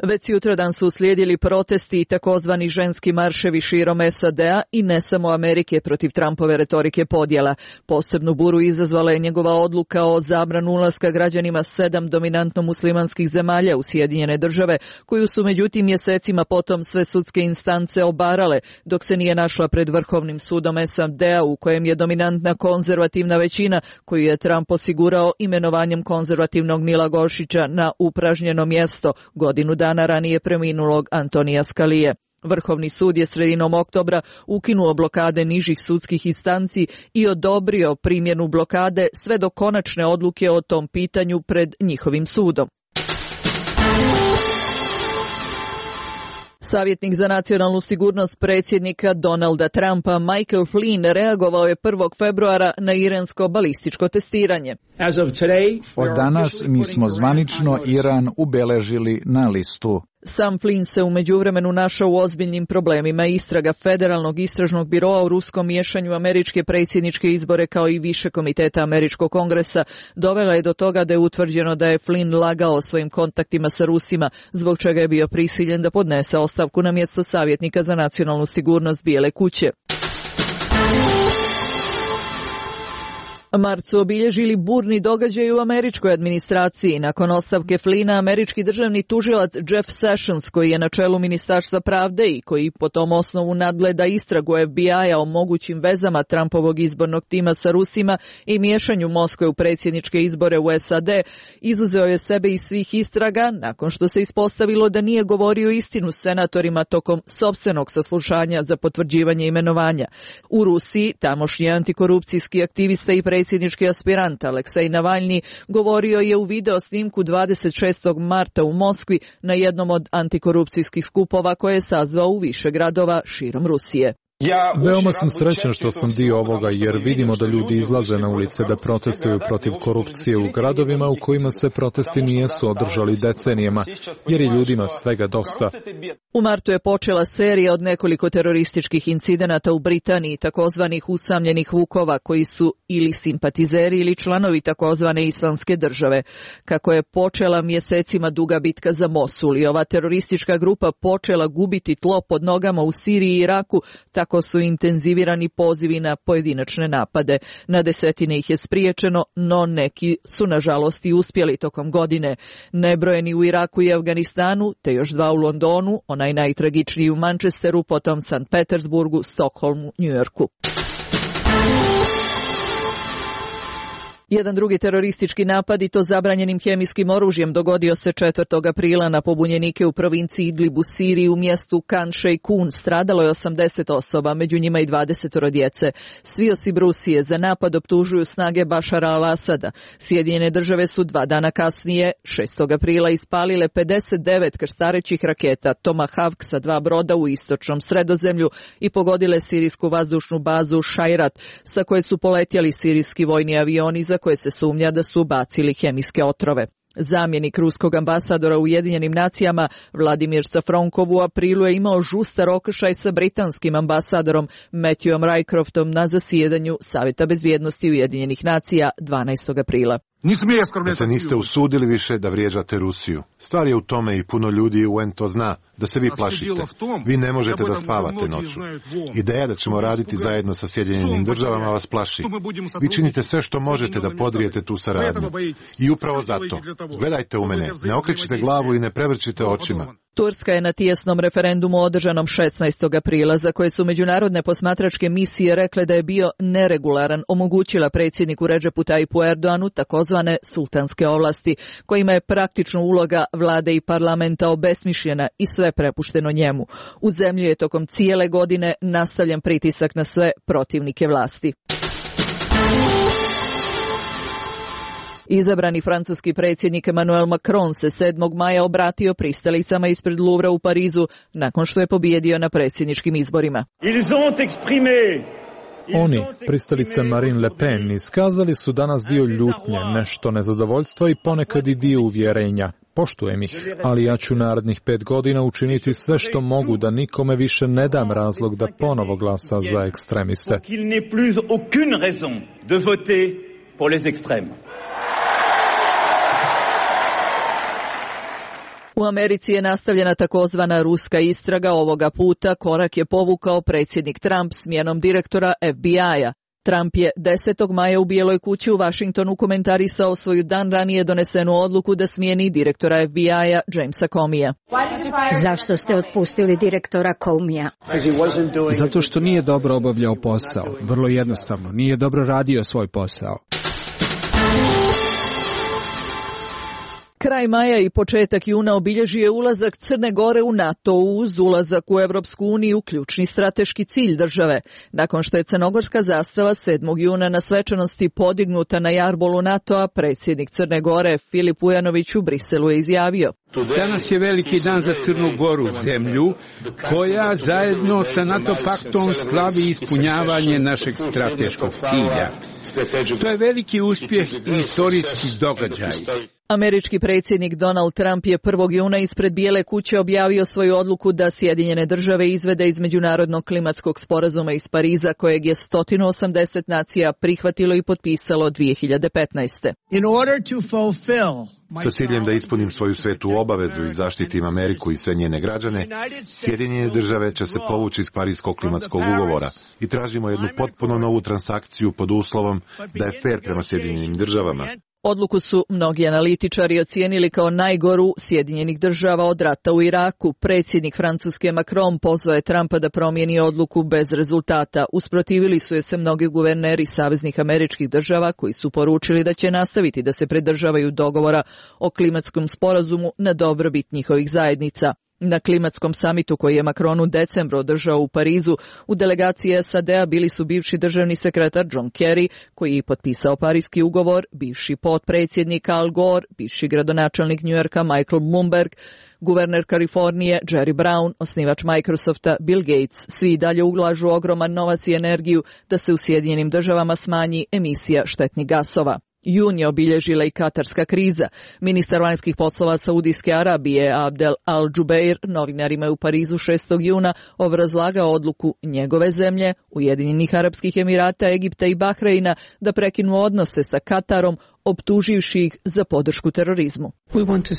Već sutradan su uslijedili protesti i takozvani ženski marševi širom SAD-a i ne samo Amerike protiv Trumpove retorike podjela. Posebnu buru izazvala je njegova odluka o zabranu ulaska građanima 7 dominantno muslimanskih zemalja u Sjedinjene Države, koju su međutim mjesecima potom sve sudske instance obarale, dok se nije našla pred Vrhovnim sudom SAD-a u kojem je dominantna konzervativna većina koju je Trump osigurao imenovanjem konzervativnog Nila Goršića na upražnjeno mjesto godinu dana ranije preminulog Antonija Skalije. Vrhovni sud je sredinom oktobra ukinuo blokade nižih sudskih instanci i odobrio primjenu blokade sve do konačne odluke o tom pitanju pred njihovim sudom. Savjetnik za nacionalnu sigurnost predsjednika Donalda Trumpa Michael Flynn reagovao je 1. februara na iransko balističko testiranje. Od danas mi smo zvanično Iran ubeležili na listu. Sam Flynn se u međuvremenu našao u ozbiljnim problemima. Istraga Federalnog istražnog biroa u ruskom miješanju američke predsjedničke izbore kao i više komiteta američkog kongresa dovela je do toga da je utvrđeno da je Flynn lagao o svojim kontaktima sa Rusima, zbog čega je bio prisiljen da podnese ostavku na mjesto savjetnika za nacionalnu sigurnost Bijele kuće. Mart su obilježili burni događaj u američkoj administraciji. Nakon ostavke Flynna, američki državni tužilac Jeff Sessions, koji je na čelu Ministarstva pravde i koji po tom osnovu nadgleda istragu FBI-a o mogućim vezama Trumpovog izbornog tima sa Rusima i miješanju Moskve u predsjedničke izbore u SAD, izuzeo je sebe iz svih istraga nakon što se ispostavilo da nije govorio istinu senatorima tokom sopstvenog saslušanja za potvrđivanje imenovanja. U Rusiji tamošnji antikorupcijski aktivista i predsjednički aspirant Aleksej Navalni govorio je u video snimku 26. marta u Moskvi na jednom od antikorupcijskih skupova koje je sazvao u više gradova širom Rusije. Veoma sam srećan što sam dio ovoga jer vidimo da ljudi izlaze na ulice da protestuju protiv korupcije u gradovima u kojima se protesti nijesu održali decenijama, jer je ljudima svega dosta. U martu je počela serija od nekoliko terorističkih incidenata u Britaniji, takozvanih usamljenih vukova koji su ili simpatizeri ili članovi takozvane islamske države. Kako je počela mjesecima duga bitka za Mosul i ova teroristička grupa počela gubiti tlo pod nogama u Siriji i Iraku, tako su intenzivirani pozivi na pojedinačne napade. Na desetine ih je spriječeno, no neki su nažalost i uspjeli tokom godine. Nebrojeni u Iraku i Afganistanu, te još 2 u Londonu, onaj najtragičniji u Manchesteru, potom St. Petersburgu, Stokholmu, Njujorku. Jedan drugi teroristički napad, i to zabranjenim hemijskim oružjem, dogodio se 4. aprila na pobunjenike u provinciji Idlib u Siriji u mjestu Khan Sheikhoun. Stradalo je 80 osoba, među njima i 20 djece. Svi osim Rusije za napad optužuju snage Bašara al-Asada. Sjedinjene države su 2 dana kasnije, 6. aprila, ispalile 59 krstarećih raketa Tomahawk sa 2 broda u istočnom Sredozemlju i pogodile sirijsku vazdušnu bazu Šajrat, sa koje su poletjeli sirijski vojni avioni za koje se sumnja da su bacili hemijske otrove. Zamjenik ruskog ambasadora u Ujedinjenim nacijama Vladimir Safronkov u aprilu je imao žustar okršaj sa britanskim ambasadorom Matthewom Rycroftom na zasjedanju Savjeta bezbjednosti Ujedinjenih nacija 12. aprila. Da se niste usudili više da vrijeđate Rusiju. Stvar je u tome i puno ljudi u UN to zna, da se vi plašite. Vi ne možete da spavate noću. Ideja da ćemo raditi zajedno sa Sjedinjenim državama vas plaši. Vi činite sve što možete da podrijete tu saradnju. I upravo zato, gledajte u mene, ne okrećite glavu i ne prevrćite očima. Turska je na tijesnom referendumu održanom 16. aprila, za koje su međunarodne posmatračke misije rekle da je bio neregularan, omogućila predsjedniku Redžepu Tajipu Erdoanu takozvane sultanske ovlasti, kojima je praktično uloga vlade i parlamenta obesmišljena i sve prepušteno njemu. U zemlji je tokom cijele godine nastavljen pritisak na sve protivnike vlasti. Izabrani francuski predsjednik Emmanuel Macron se 7. maja obratio pristalicama ispred Louvra u Parizu nakon što je pobijedio na predsjedničkim izborima. Oni, pristalice Marine Le Pen, iskazali su danas dio ljutnje, nešto nezadovoljstva i ponekad i dio uvjerenja. Poštujem ih, ali ja ću narednih 5 godina učiniti sve što mogu da nikome više ne dam razlog da ponovo glasa za ekstremiste. U Americi je nastavljena takozvana ruska istraga. Ovoga puta korak je povukao predsjednik Trump smjenom direktora FBI-a. Trump je 10. maja u Bijeloj kući u Washingtonu komentarisao svoju dan ranije donesenu odluku da smijeni direktora FBI-a Jamesa Comeyja. Zašto ste otpustili direktora Comeyja? Zato što nije dobro obavljao posao. Vrlo jednostavno, nije dobro radio svoj posao. Kraj maja i početak juna obilježio je ulazak Crne Gore u NATO uz ulazak u Evropsku uniju, ključni strateški cilj države. Nakon što je crnogorska zastava 7. juna na svečanosti podignuta na jarbolu NATO-a, predsjednik Crne Gore Filip Vujanović u Briselu je izjavio: Danas je veliki dan za Crnu Goru, zemlju koja zajedno sa NATO paktom slavi ispunjavanje našeg strateškog cilja. To je veliki uspjeh i istorijski događaj. Američki predsjednik Donald Trump je 1. juna ispred Bijele kuće objavio svoju odluku da Sjedinjene države izvede iz međunarodnog klimatskog sporazuma iz Pariza, kojeg je 180 nacija prihvatilo i potpisalo 2015. Sa ciljem da ispunim svoju svetu obavezu i zaštitim Ameriku i sve njene građane, Sjedinjene države će se povući iz Parijskog klimatskog ugovora i tražimo jednu potpuno novu transakciju pod uslovom da je fer prema Sjedinjenim državama. Odluku su mnogi analitičari ocijenili kao najgoru Sjedinjenih država od rata u Iraku. Predsjednik Francuske Macron pozvao je Trumpa da promijeni odluku bez rezultata. Usprotivili su je se mnogi guverneri saveznih američkih država koji su poručili da će nastaviti da se pridržavaju dogovora o klimatskom sporazumu na dobrobit njihovih zajednica. Na klimatskom samitu koji je Macron u decembru održao u Parizu, u delegaciji SAD-a bili su bivši državni sekretar John Kerry, koji je potpisao Parijski ugovor, bivši potpredsjednik Al Gore, bivši gradonačelnik New Yorka Michael Bloomberg, guverner Kalifornije Jerry Brown, osnivač Microsofta Bill Gates. Svi dalje ulažu ogroman novac i energiju da se u Sjedinjenim državama smanji emisija štetnih gasova. Jun je obilježila i katarska kriza. Ministar vanjskih poslova Saudijske Arabije Abdel Al-Jubeir novinarima je u Parizu 6. juna obrazlagao odluku njegove zemlje, Ujedinjenih Arapskih Emirata, Egipta i Bahreina da prekinu odnose sa Katarom, optuživši ih za podršku terorizmu.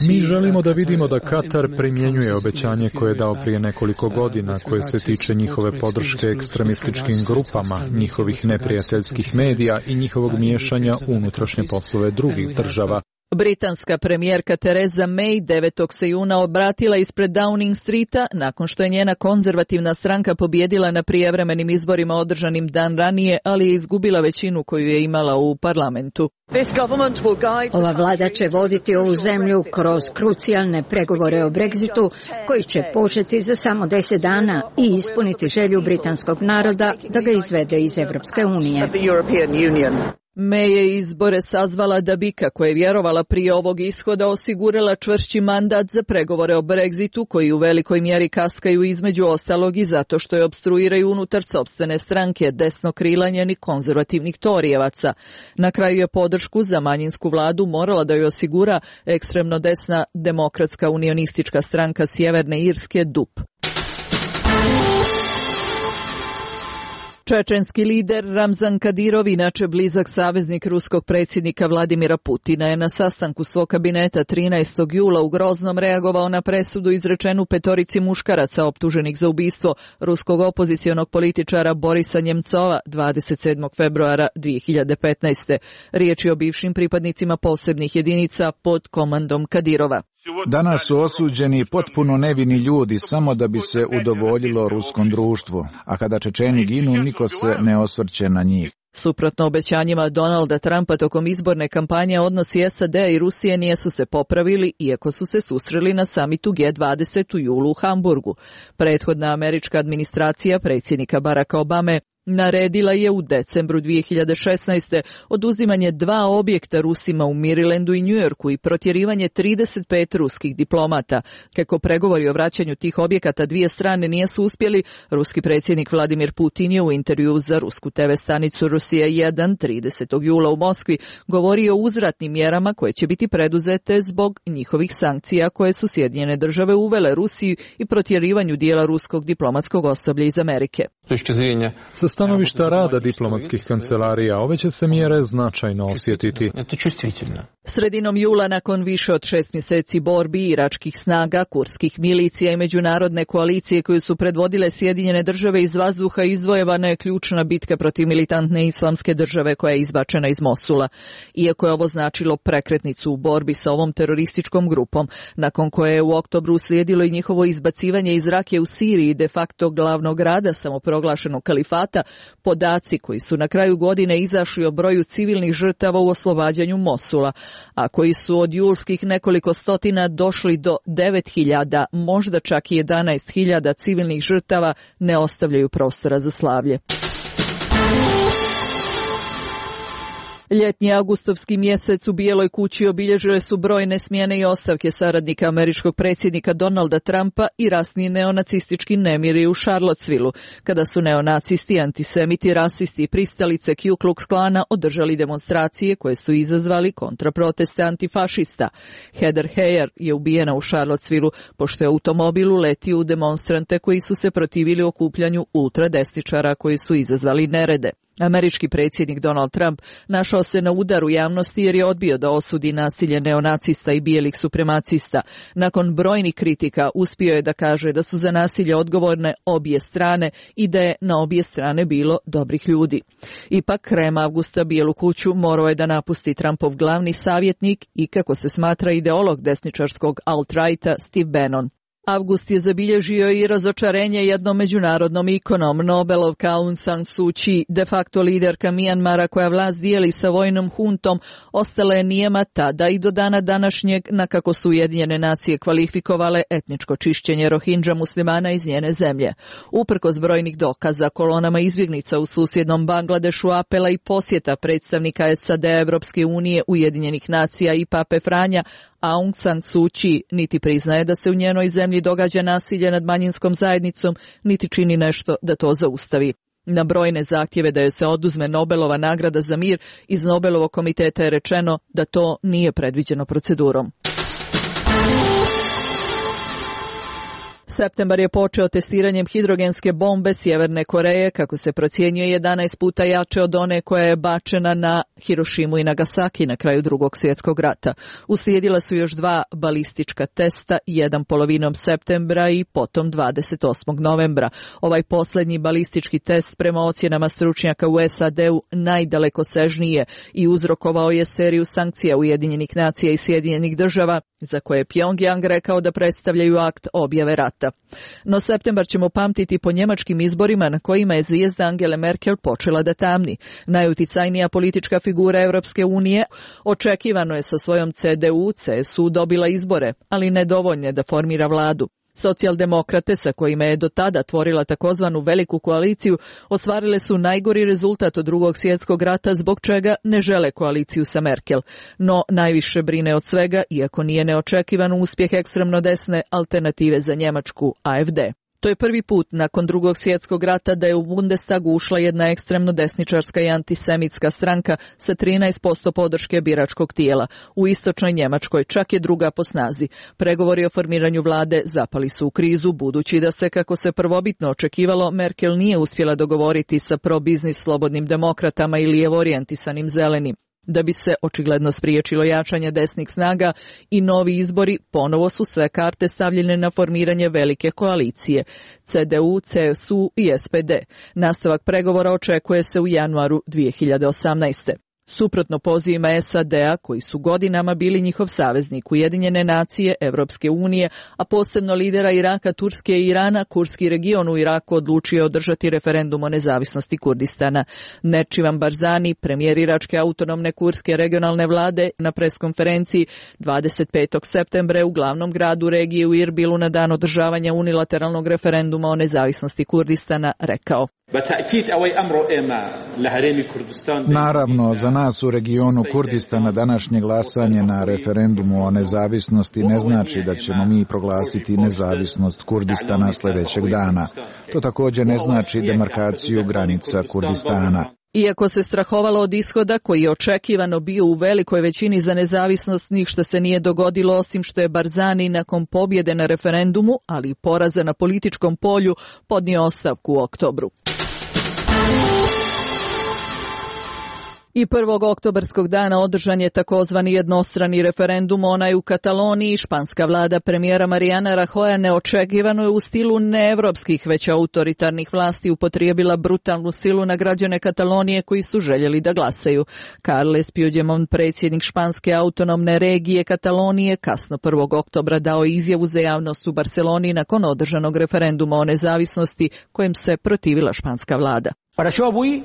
Mi želimo da vidimo da Katar primjenjuje obećanje koje je dao prije nekoliko godina, koje se tiče njihove podrške ekstremističkim grupama, njihovih neprijateljskih medija i njihovog miješanja u unutrašnje poslove drugih država. Britanska premijerka Theresa May 9. se juna obratila ispred Downing Streeta nakon što je njena konzervativna stranka pobijedila na prijevremenim izborima održanim dan ranije, ali je izgubila većinu koju je imala u parlamentu. Ova vlada će voditi ovu zemlju kroz krucijalne pregovore o Brexitu koji će početi za samo 10 dana i ispuniti želju britanskog naroda da ga izvede iz Evropske unije. May je izbore sazvala da bi, kako je vjerovala prije ovog ishoda, osigurala čvršći mandat za pregovore o Brexitu, koji u velikoj mjeri kaskaju između ostalog i zato što je opstruiraju unutar sopstvene stranke desnokrilanjenih konzervativnih torijevaca. Na kraju je podršku za manjinsku vladu morala da joj osigura ekstremno desna demokratska unionistička stranka Sjeverne Irske DUP. Čečenski lider Ramzan Kadirov, inače blizak saveznik ruskog predsjednika Vladimira Putina, je na sastanku svog kabineta 13. jula u Groznom reagovao na presudu izrečenu 5 muškaraca optuženih za ubistvo ruskog opozicionog političara Borisa Njemcova 27. februara 2015. Riječ je o bivšim pripadnicima posebnih jedinica pod komandom Kadirova. Danas su osuđeni potpuno nevini ljudi samo da bi se udovoljilo ruskom društvu, a kada Čečeni ginu, niko se ne osvrće na njih. Suprotno obećanjima Donalda Trumpa tokom izborne kampanje, odnosi SAD-a i Rusije nisu se popravili, iako su se susreli na samitu G20 u julu u Hamburgu. Prethodna američka administracija predsjednika Baracka Obame naredila je u decembru 2016. oduzimanje 2 objekta Rusima u Marylandu i New Yorku i protjerivanje 35 ruskih diplomata. Kako pregovori o vraćanju tih objekata dvije strane nisu uspjeli, ruski predsjednik Vladimir Putin je u intervjuu za rusku TV stanicu Rusija 1 30. jula u Moskvi govorio o uzvratnim mjerama koje će biti preduzete zbog njihovih sankcija koje su Sjedinjene države uvele Rusiji i protjerivanju dijela ruskog diplomatskog osoblja iz Amerike. Sa stanovišta rada diplomatskih kancelarija ove će se mjere značajno osjetiti. Sredinom jula, nakon više od 6 mjeseci borbi iračkih snaga, kurdskih milicija i međunarodne koalicije koju su predvodile Sjedinjene države iz vazduha, izvojevana je ključna bitka protiv militantne islamske države koja je izbačena iz Mosula. Iako je ovo značilo prekretnicu u borbi sa ovom terorističkom grupom, nakon koje je u oktobru uslijedilo i njihovo izbacivanje iz Rakije u Siriji, de facto glavnog grada samoproglašenog kalifata, podaci koji su na kraju godine izašli o broju civilnih žrtava u oslobađanju Mosula, a koji su od julskih nekoliko stotina došli do 9.000, možda čak i 11.000 civilnih žrtava, ne ostavljaju prostora za slavlje. Ljetnji avgustovski mjesec u Bijeloj kući obilježile su brojne smjene i ostavke saradnika američkog predsjednika Donalda Trumpa i rasni neonacistički nemiri u Charlottesvilleu, kada su neonacisti, antisemiti, rasisti i pristalice Ku Klux Klana održali demonstracije koje su izazvali kontraproteste antifašista. Heather Heyer je ubijena u Charlottesvilleu pošto je automobil uletio u demonstrante koji su se protivili okupljanju ultradesničara koji su izazvali nerede. Američki predsjednik Donald Trump našao se na udaru javnosti jer je odbio da osudi nasilje neonacista i bijelih supremacista. Nakon brojnih kritika uspio je da kaže da su za nasilje odgovorne obje strane i da je na obje strane bilo dobrih ljudi. Ipak, krajem avgusta Bijelu kuću morao je da napusti Trumpov glavni savjetnik i, kako se smatra, ideolog desničarskog alt-righta Steve Bannon. Avgust je zabilježio i razočarenje jednom međunarodnom ikonom. Nobelovka Aung San Suu Kyi, de facto liderka Mijanmara koja vlast dijeli sa vojnom huntom, ostala je nijema tada i do dana današnjeg, na kako su Ujedinjene nacije kvalifikovale etničko čišćenje Rohingya muslimana iz njene zemlje. Uprkos brojnih dokaza, kolonama izbjegnica u susjednom Bangladešu, apela i posjeta predstavnika SAD, Evropske unije, Ujedinjenih nacija i Pape Franja, Aung San Suu Kyi niti priznaje da se u njenoj zemlji događa nasilje nad manjinskom zajednicom, niti čini nešto da to zaustavi. Na brojne zahtjeve da joj se oduzme Nobelova nagrada za mir, iz Nobelovog komiteta je rečeno da to nije predviđeno procedurom. Septembar je počeo testiranjem hidrogenske bombe Sjeverne Koreje, kako se procjenjuje 11 puta jače od one koja je bačena na Hirošimu i Nagasaki na kraju Drugog svjetskog rata. Uslijedila su još 2 balistička testa, jedan polovinom septembra i potom 28. novembra. Ovaj posljednji balistički test prema ocjenama stručnjaka u SAD-u najdalekosežniji je i uzrokovao je seriju sankcija Ujedinjenih nacija i Sjedinjenih država, za koje je Pjongjang rekao da predstavljaju akt objave rata. No septembar ćemo pamtiti po njemačkim izborima na kojima je zvijezda Angele Merkel počela da tamni. Najuticajnija politička figura Europske unije očekivano je sa svojom CDU-CSU dobila izbore, ali nedovoljne da formira vladu. Socijaldemokrate, sa kojima je do tada tvorila takozvanu veliku koaliciju, ostvarile su najgori rezultat od Drugog svjetskog rata, zbog čega ne žele koaliciju sa Merkel. No najviše brine od svega, iako nije neočekivan uspjeh ekstremno desne Alternative za Njemačku, AfD. To je prvi put nakon Drugog svjetskog rata da je u Bundestagu ušla jedna ekstremno desničarska i antisemitska stranka sa 13% podrške biračkog tijela. U istočnoj Njemačkoj čak je druga po snazi. Pregovori o formiranju vlade zapali su u krizu, budući da se, kako se prvobitno očekivalo, Merkel nije uspjela dogovoriti sa pro-biznis slobodnim demokratama i lijevo orijentisanim zelenim. Da bi se očigledno spriječilo jačanje desnih snaga i novi izbori, ponovo su sve karte stavljene na formiranje velike koalicije CDU, CSU i SPD. Nastavak pregovora očekuje se u januaru 2018. Suprotno pozivima SAD-a, koji su godinama bili njihov saveznik, Ujedinjene nacije, Evropske unije, a posebno lidera Iraka, Turske i Irana, kurdski region u Iraku odlučio održati referendum o nezavisnosti Kurdistana. Nečivan Barzani, premijer iračke autonomne kurdske regionalne vlade, na preskonferenciji 25. septembra u glavnom gradu regije u Irbilu na dan održavanja unilateralnog referenduma o nezavisnosti Kurdistana rekao: Naravno, za nas u regionu Kurdistana današnje glasanje na referendumu o nezavisnosti ne znači da ćemo mi proglasiti nezavisnost Kurdistana sljedećeg dana. To također ne znači demarkaciju granica Kurdistana. Iako se strahovalo od ishoda koji je očekivano bio u velikoj većini za nezavisnost, ništa se nije dogodilo osim što je Barzani nakon pobjede na referendumu, ali i poraza na političkom polju, podnio ostavku u oktobru. I 1. oktobarskog dana održan je takozvani jednostrani referendum, onaj u Kataloniji. Španska vlada premijera Mariana Rajoya neočekivano je u stilu neevropskih već autoritarnih vlasti upotrijebila brutalnu silu na građane Katalonije koji su željeli da glasaju. Carles Puigdemont, predsjednik španske autonomne regije Katalonije, kasno 1. oktobra dao izjavu za javnost u Barceloni nakon održanog referenduma o nezavisnosti kojem se protivila španska vlada. Per això avui,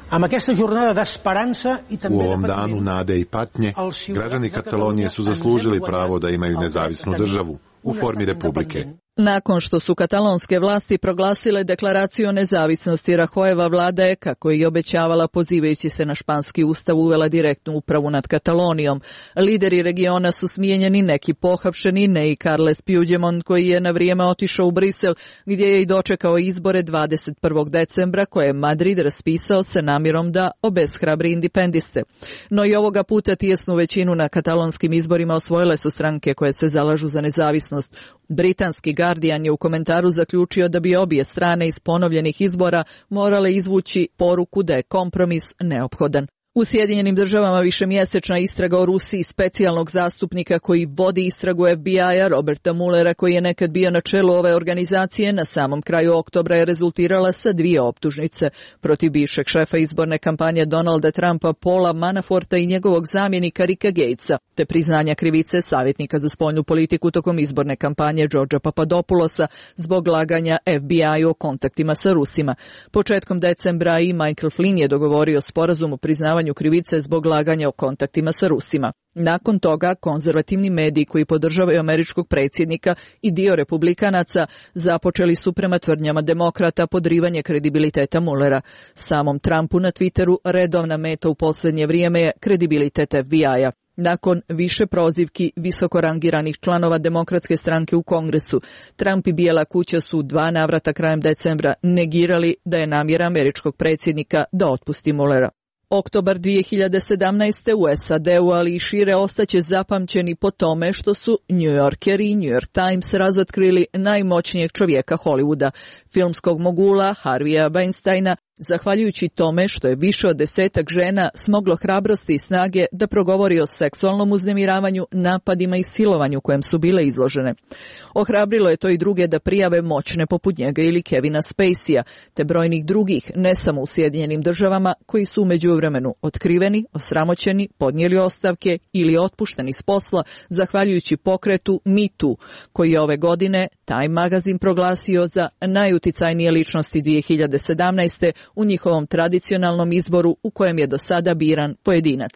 amb aquesta jornada d'esperança i també u ovom danu nade i patnje, građani Katalonije su zaslužili pravo da imaju nezavisnu državu u formi republike. Nakon što su katalonske vlasti proglasile deklaraciju o nezavisnosti, Rahojeva vlada je, kako je i obećavala pozivajući se na španski ustav, uvela direktnu upravu nad Katalonijom. Lideri regiona su smijenjeni, neki pohapšeni, ne i Carles Puigdemont koji je na vrijeme otišao u Brisel gdje je i dočekao izbore 21. decembra koje je Madrid raspisao sa namjerom da obeshrabri independiste. No i ovoga puta tijesnu većinu na katalonskim izborima osvojile su stranke koje se zalažu za nezavisnost. Britanski Guardian je u komentaru zaključio da bi obje strane iz ponovljenih izbora morale izvući poruku da je kompromis neophodan. U Sjedinjenim državama višemjesečna istraga o Rusiji specijalnog zastupnika koji vodi istragu FBI-a Roberta Muellera, koji je nekad bio na čelu ove organizacije, na samom kraju oktobra je rezultirala sa 2 optužnice protiv bivšeg šefa izborne kampanje Donalda Trumpa Paula Manaforta i njegovog zamjenika Ricka Gatesa, te priznanja krivice savjetnika za spoljnu politiku tokom izborne kampanje Georgea Papadopoulosa zbog laganja FBI-u o kontaktima sa Rusima. Početkom decembra i Michael Flynn je dogovorio sporazum o priznavanju krivice zbog laganja o kontaktima sa Rusima. Nakon toga, konzervativni mediji koji podržavaju američkog predsjednika i dio republikanaca započeli su prema tvrdnjama demokrata podrivanje kredibiliteta Muellera. Samom Trumpu na Twitteru redovna meta u posljednje vrijeme je kredibilitet FBI-a. Nakon više prozivki visoko rangiranih članova demokratske stranke u Kongresu, Trump i Bijela kuća su 2 navrata krajem decembra negirali da je namjera američkog predsjednika da otpusti Muellera. Oktobar 2017. u SAD-u, ali i šire, ostaće zapamćeni po tome što su New Yorker i New York Times razotkrili najmoćnijeg čovjeka Hollywooda, filmskog mogula Harvija Weinsteina, zahvaljujući tome što je više od 10 žena smoglo hrabrosti i snage da progovori o seksualnom uznemiravanju, napadima i silovanju kojem su bile izložene. Ohrabrilo je to i druge da prijave moćne poput njega ili Kevina Spacey-a, te brojnih drugih, ne samo u Sjedinjenim državama, koji su u međuvremenu otkriveni, osramoćeni, podnijeli ostavke ili otpušteni s posla zahvaljujući pokretu Me Too, koji je ove godine Time magazin proglasio za najuticajnije ličnosti 2017. u njihovom tradicionalnom izboru u kojem je do sada biran pojedinac.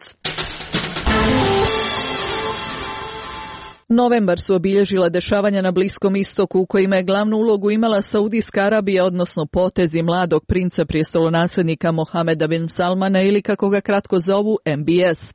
Novembar su obilježila dešavanja na Bliskom istoku u kojima je glavnu ulogu imala Saudijska Arabija, odnosno potezi mladog princa prijestolonaslednika Mohameda bin Salmana ili kako ga kratko zovu MBS.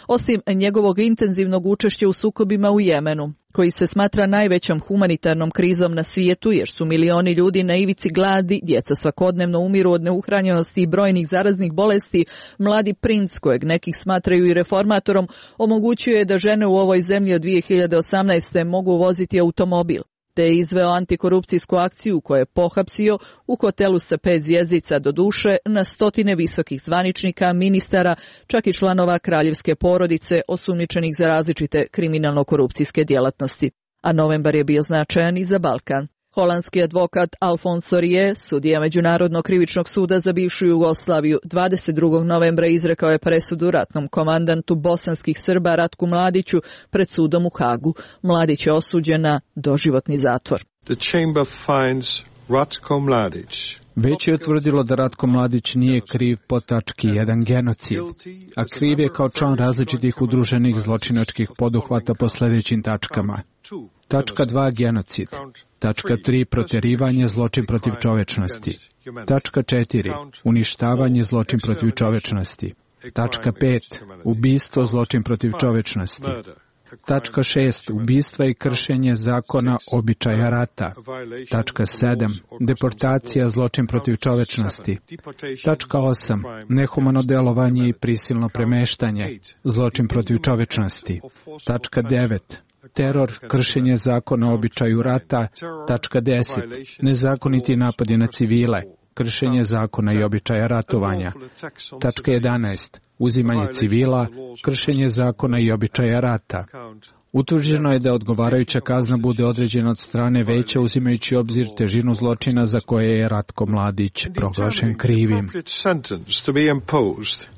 Osim njegovog intenzivnog učešća u sukobima u Jemenu, koji se smatra najvećom humanitarnom krizom na svijetu jer su milioni ljudi na ivici gladi, djeca svakodnevno umiru od neuhranjenosti i brojnih zaraznih bolesti, mladi princ, kojeg nekih smatraju i reformatorom, omogućuje da žene u ovoj zemlji od 2018. mogu voziti automobil, te je izveo antikorupcijsku akciju koju je pohapsio u hotelu sa 5 zvjezdica do duše na stotine visokih zvaničnika, ministara, čak i članova kraljevske porodice osumnjičenih za različite kriminalno-korupcijske djelatnosti. A novembar je bio značajan i za Balkan. Holandski advokat Alfonso Rie, sudija Međunarodnog krivičnog suda za bivšu Jugoslaviju, 22. novembra izrekao je presudu ratnom komandantu bosanskih Srba Ratku Mladiću pred sudom u Hagu. Mladić je osuđen na doživotni zatvor. The chamber finds Ratko Mladić. Već je utvrdilo da Ratko Mladić nije kriv po tački 1 genocid, a kriv je kao član različitih udruženih zločinačkih poduhvata po sljedećim tačkama. Tačka 2 genocid. Tačka 3 protjerivanje, zločin protiv čovečnosti. Tačka 4 uništavanje, zločin protiv čovečnosti. Tačka 5 ubistvo, zločin protiv čovečnosti. Tačka 6. Ubistva i kršenje zakona običaja rata. Tačka 7. Deportacija, zločin protiv čovečnosti. Tačka 8. Nehumano delovanje i prisilno premeštanje, zločin protiv čovečnosti. Tačka 9. Teror, kršenje zakona običaju rata. Tačka 10. Nezakoniti napadi na civile, kršenje zakona i običaja ratovanja. Tačka 11. Uzimanje civila, kršenje zakona i običaja rata. Utvrđeno je da odgovarajuća kazna bude određena od strane veća uzimajući obzir težinu zločina za koje je Ratko Mladić proglašen krivim.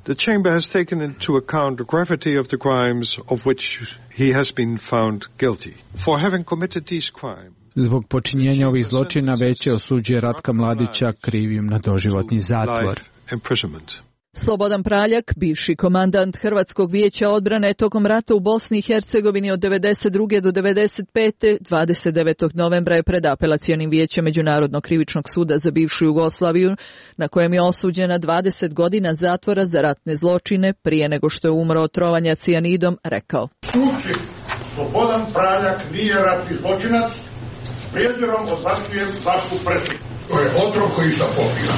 The chamber has taken into account the gravity of the crimes of which he has been found guilty. For having committed these crimes, Zbog počinjenja ovih zločina Veće osuđuje Ratka Mladića krivim na doživotni zatvor. Slobodan Praljak, bivši komandant Hrvatskog vijeća odbrane tokom rata u Bosni i Hercegovini od 1992. do 1995. 29. novembra je pred apelacionim vijećem Međunarodnog krivičnog suda za bivšu Jugoslaviju, na kojem je osuđena 20 godina zatvora za ratne zločine prije nego što je umro od trovanja cijanidom, rekao: Suci, Slobodan Praljak nije ratni zločinac, prijezirom odbacujem vašu presudu. To je otrov koji sam popio.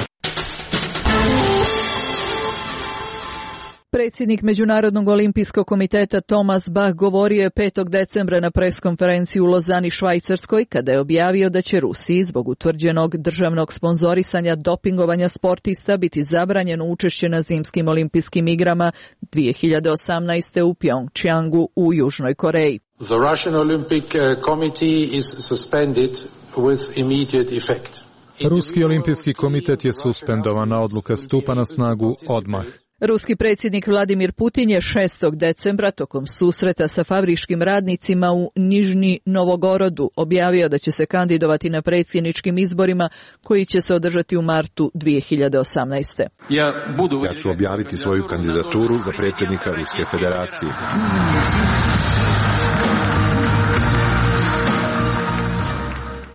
Predsjednik Međunarodnog olimpijskog komiteta Thomas Bach govorio je 5. decembra na preskonferenciji u Lozani, Švajcarskoj, kada je objavio da će Rusiji zbog utvrđenog državnog sponzorisanja dopingovanja sportista biti zabranjeno učešće na zimskim olimpijskim igrama 2018. u Pjongčjangu u Južnoj Koreji. The Russian Olympic Committee is suspended with immediate effect. Ruski olimpijski komitet je suspendovan, a odluka stupa na snagu odmah. Ruski predsjednik Vladimir Putin je 6. decembra tokom susreta sa fabričkim radnicima u Nižni Novogorodu objavio da će se kandidovati na predsjedničkim izborima koji će se održati u martu 2018. Ja ću objaviti svoju kandidaturu za predsjednika Ruske federacije.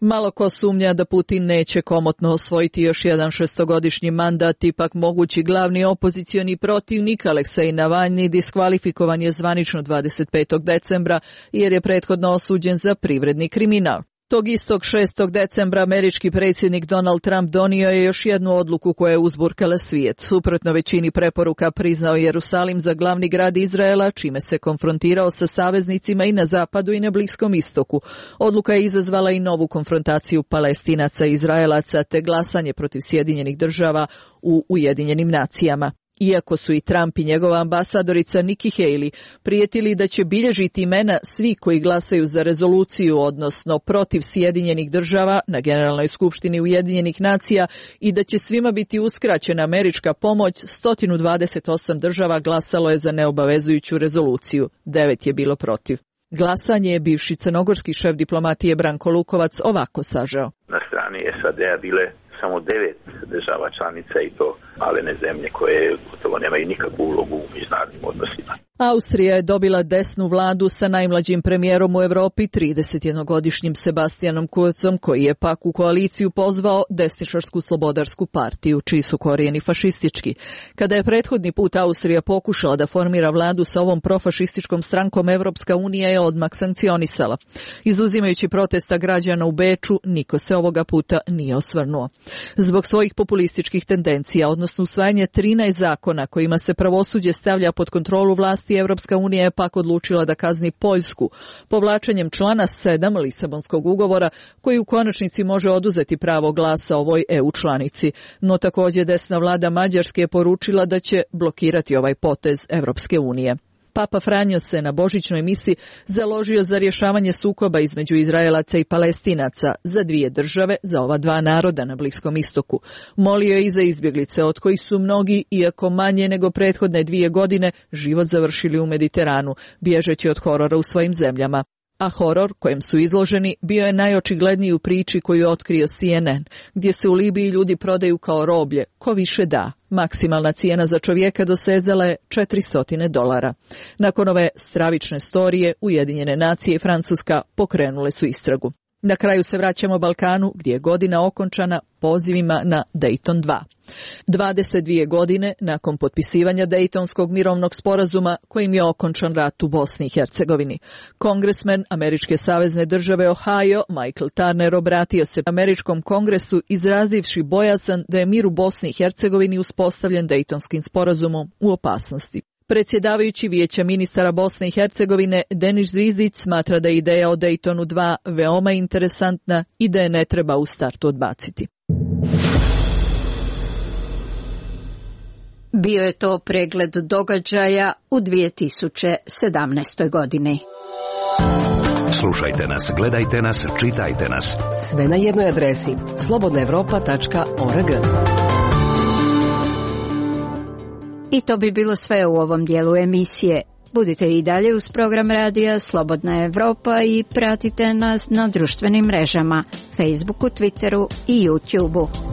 Malo ko sumnja da Putin neće komotno osvojiti još jedan šestogodišnji mandat, ipak mogući glavni opozicioni protivnik Aleksej Navalni diskvalifikovan je zvanično 25. decembra jer je prethodno osuđen za privredni kriminal. Tog istog 6. decembra američki predsjednik Donald Trump donio je još jednu odluku koja je uzburkala svijet. Suprotno većini preporuka priznao Jerusalim za glavni grad Izraela, čime se konfrontirao sa saveznicima i na zapadu i na Bliskom istoku. Odluka je izazvala i novu konfrontaciju Palestinaca i Izraelaca te glasanje protiv Sjedinjenih država u Ujedinjenim nacijama. Iako su i Trump i njegova ambasadorica Nikki Haley prijetili da će bilježiti imena svi koji glasaju za rezoluciju, odnosno protiv Sjedinjenih država na Generalnoj skupštini Ujedinjenih nacija i da će svima biti uskraćena američka pomoć, 128 država glasalo je za neobavezujuću rezoluciju, 9 je bilo protiv. Glasanje je bivši crnogorski šef diplomatije Branko Lukovac ovako sažao. Na strani SAD-a bile samo 9 država članica i to malene zemlje koje gotovo nemaju nikakvu ulogu u međunarodnim odnosima. Austrija je dobila desnu vladu sa najmlađim premijerom u Europi, 31-godišnjim Sebastianom Kurzom, koji je pak u koaliciju pozvao desničarsku slobodarsku partiju, čiji su korijeni fašistički. Kada je prethodni put Austrija pokušala da formira vladu sa ovom profašističkom strankom, Evropska unija je odmah sankcionisala. Izuzimajući protesta građana u Beču, niko se ovoga puta nije osvrnuo. Zbog svojih populističkih tendencija, odnosno usvajanje 13 zakona kojima se pravosuđe stavlja pod kontrolu vlasti, Evropska unija je pak odlučila da kazni Poljsku povlačenjem člana 7 Lisabonskog ugovora, koji u konačnici može oduzeti pravo glasa ovoj EU članici. No također desna vlada Mađarske je poručila da će blokirati ovaj potez Evropske unije. Papa Franjo se na božićnoj misi založio za rješavanje sukoba između Izraelaca i Palestinaca, za dvije države, za ova dva naroda na Bliskom istoku. Molio je i za izbjeglice, od kojih su mnogi, iako manje nego prethodne 2 godine, život završili u Mediteranu, bježeći od horora u svojim zemljama. A horor kojem su izloženi bio je najočigledniji u priči koju je otkrio CNN, gdje se u Libiji ljudi prodaju kao roblje, ko više da. Maksimalna cijena za čovjeka dosezala je $400. Nakon ove stravične storije, Ujedinjene nacije i Francuska pokrenule su istragu. Na kraju se vraćamo Balkanu, gdje je godina okončana pozivima na Dayton 2. 22 godine nakon potpisivanja Daytonskog mirovnog sporazuma kojim je okončan rat u Bosni i Hercegovini. Kongresmen američke savezne države Ohio, Michael Turner, obratio se američkom kongresu izrazivši bojazan da je mir u Bosni i Hercegovini uspostavljen Daytonskim sporazumom u opasnosti. Predsjedavajući Vijeća ministara Bosne i Hercegovine Denis Zvizdić smatra da je ideja o Daytonu 2 veoma interesantna i da je ne treba u startu odbaciti. Bio je to pregled događaja u 2017. godini. Slušajte nas, gledajte nas, čitajte nas. Sve na jednoj adresi slobodnaevropa.org. I to bi bilo sve u ovom dijelu emisije. Budite i dalje uz program radija Slobodna Evropa i pratite nas na društvenim mrežama, Facebooku, Twitteru i YouTubeu.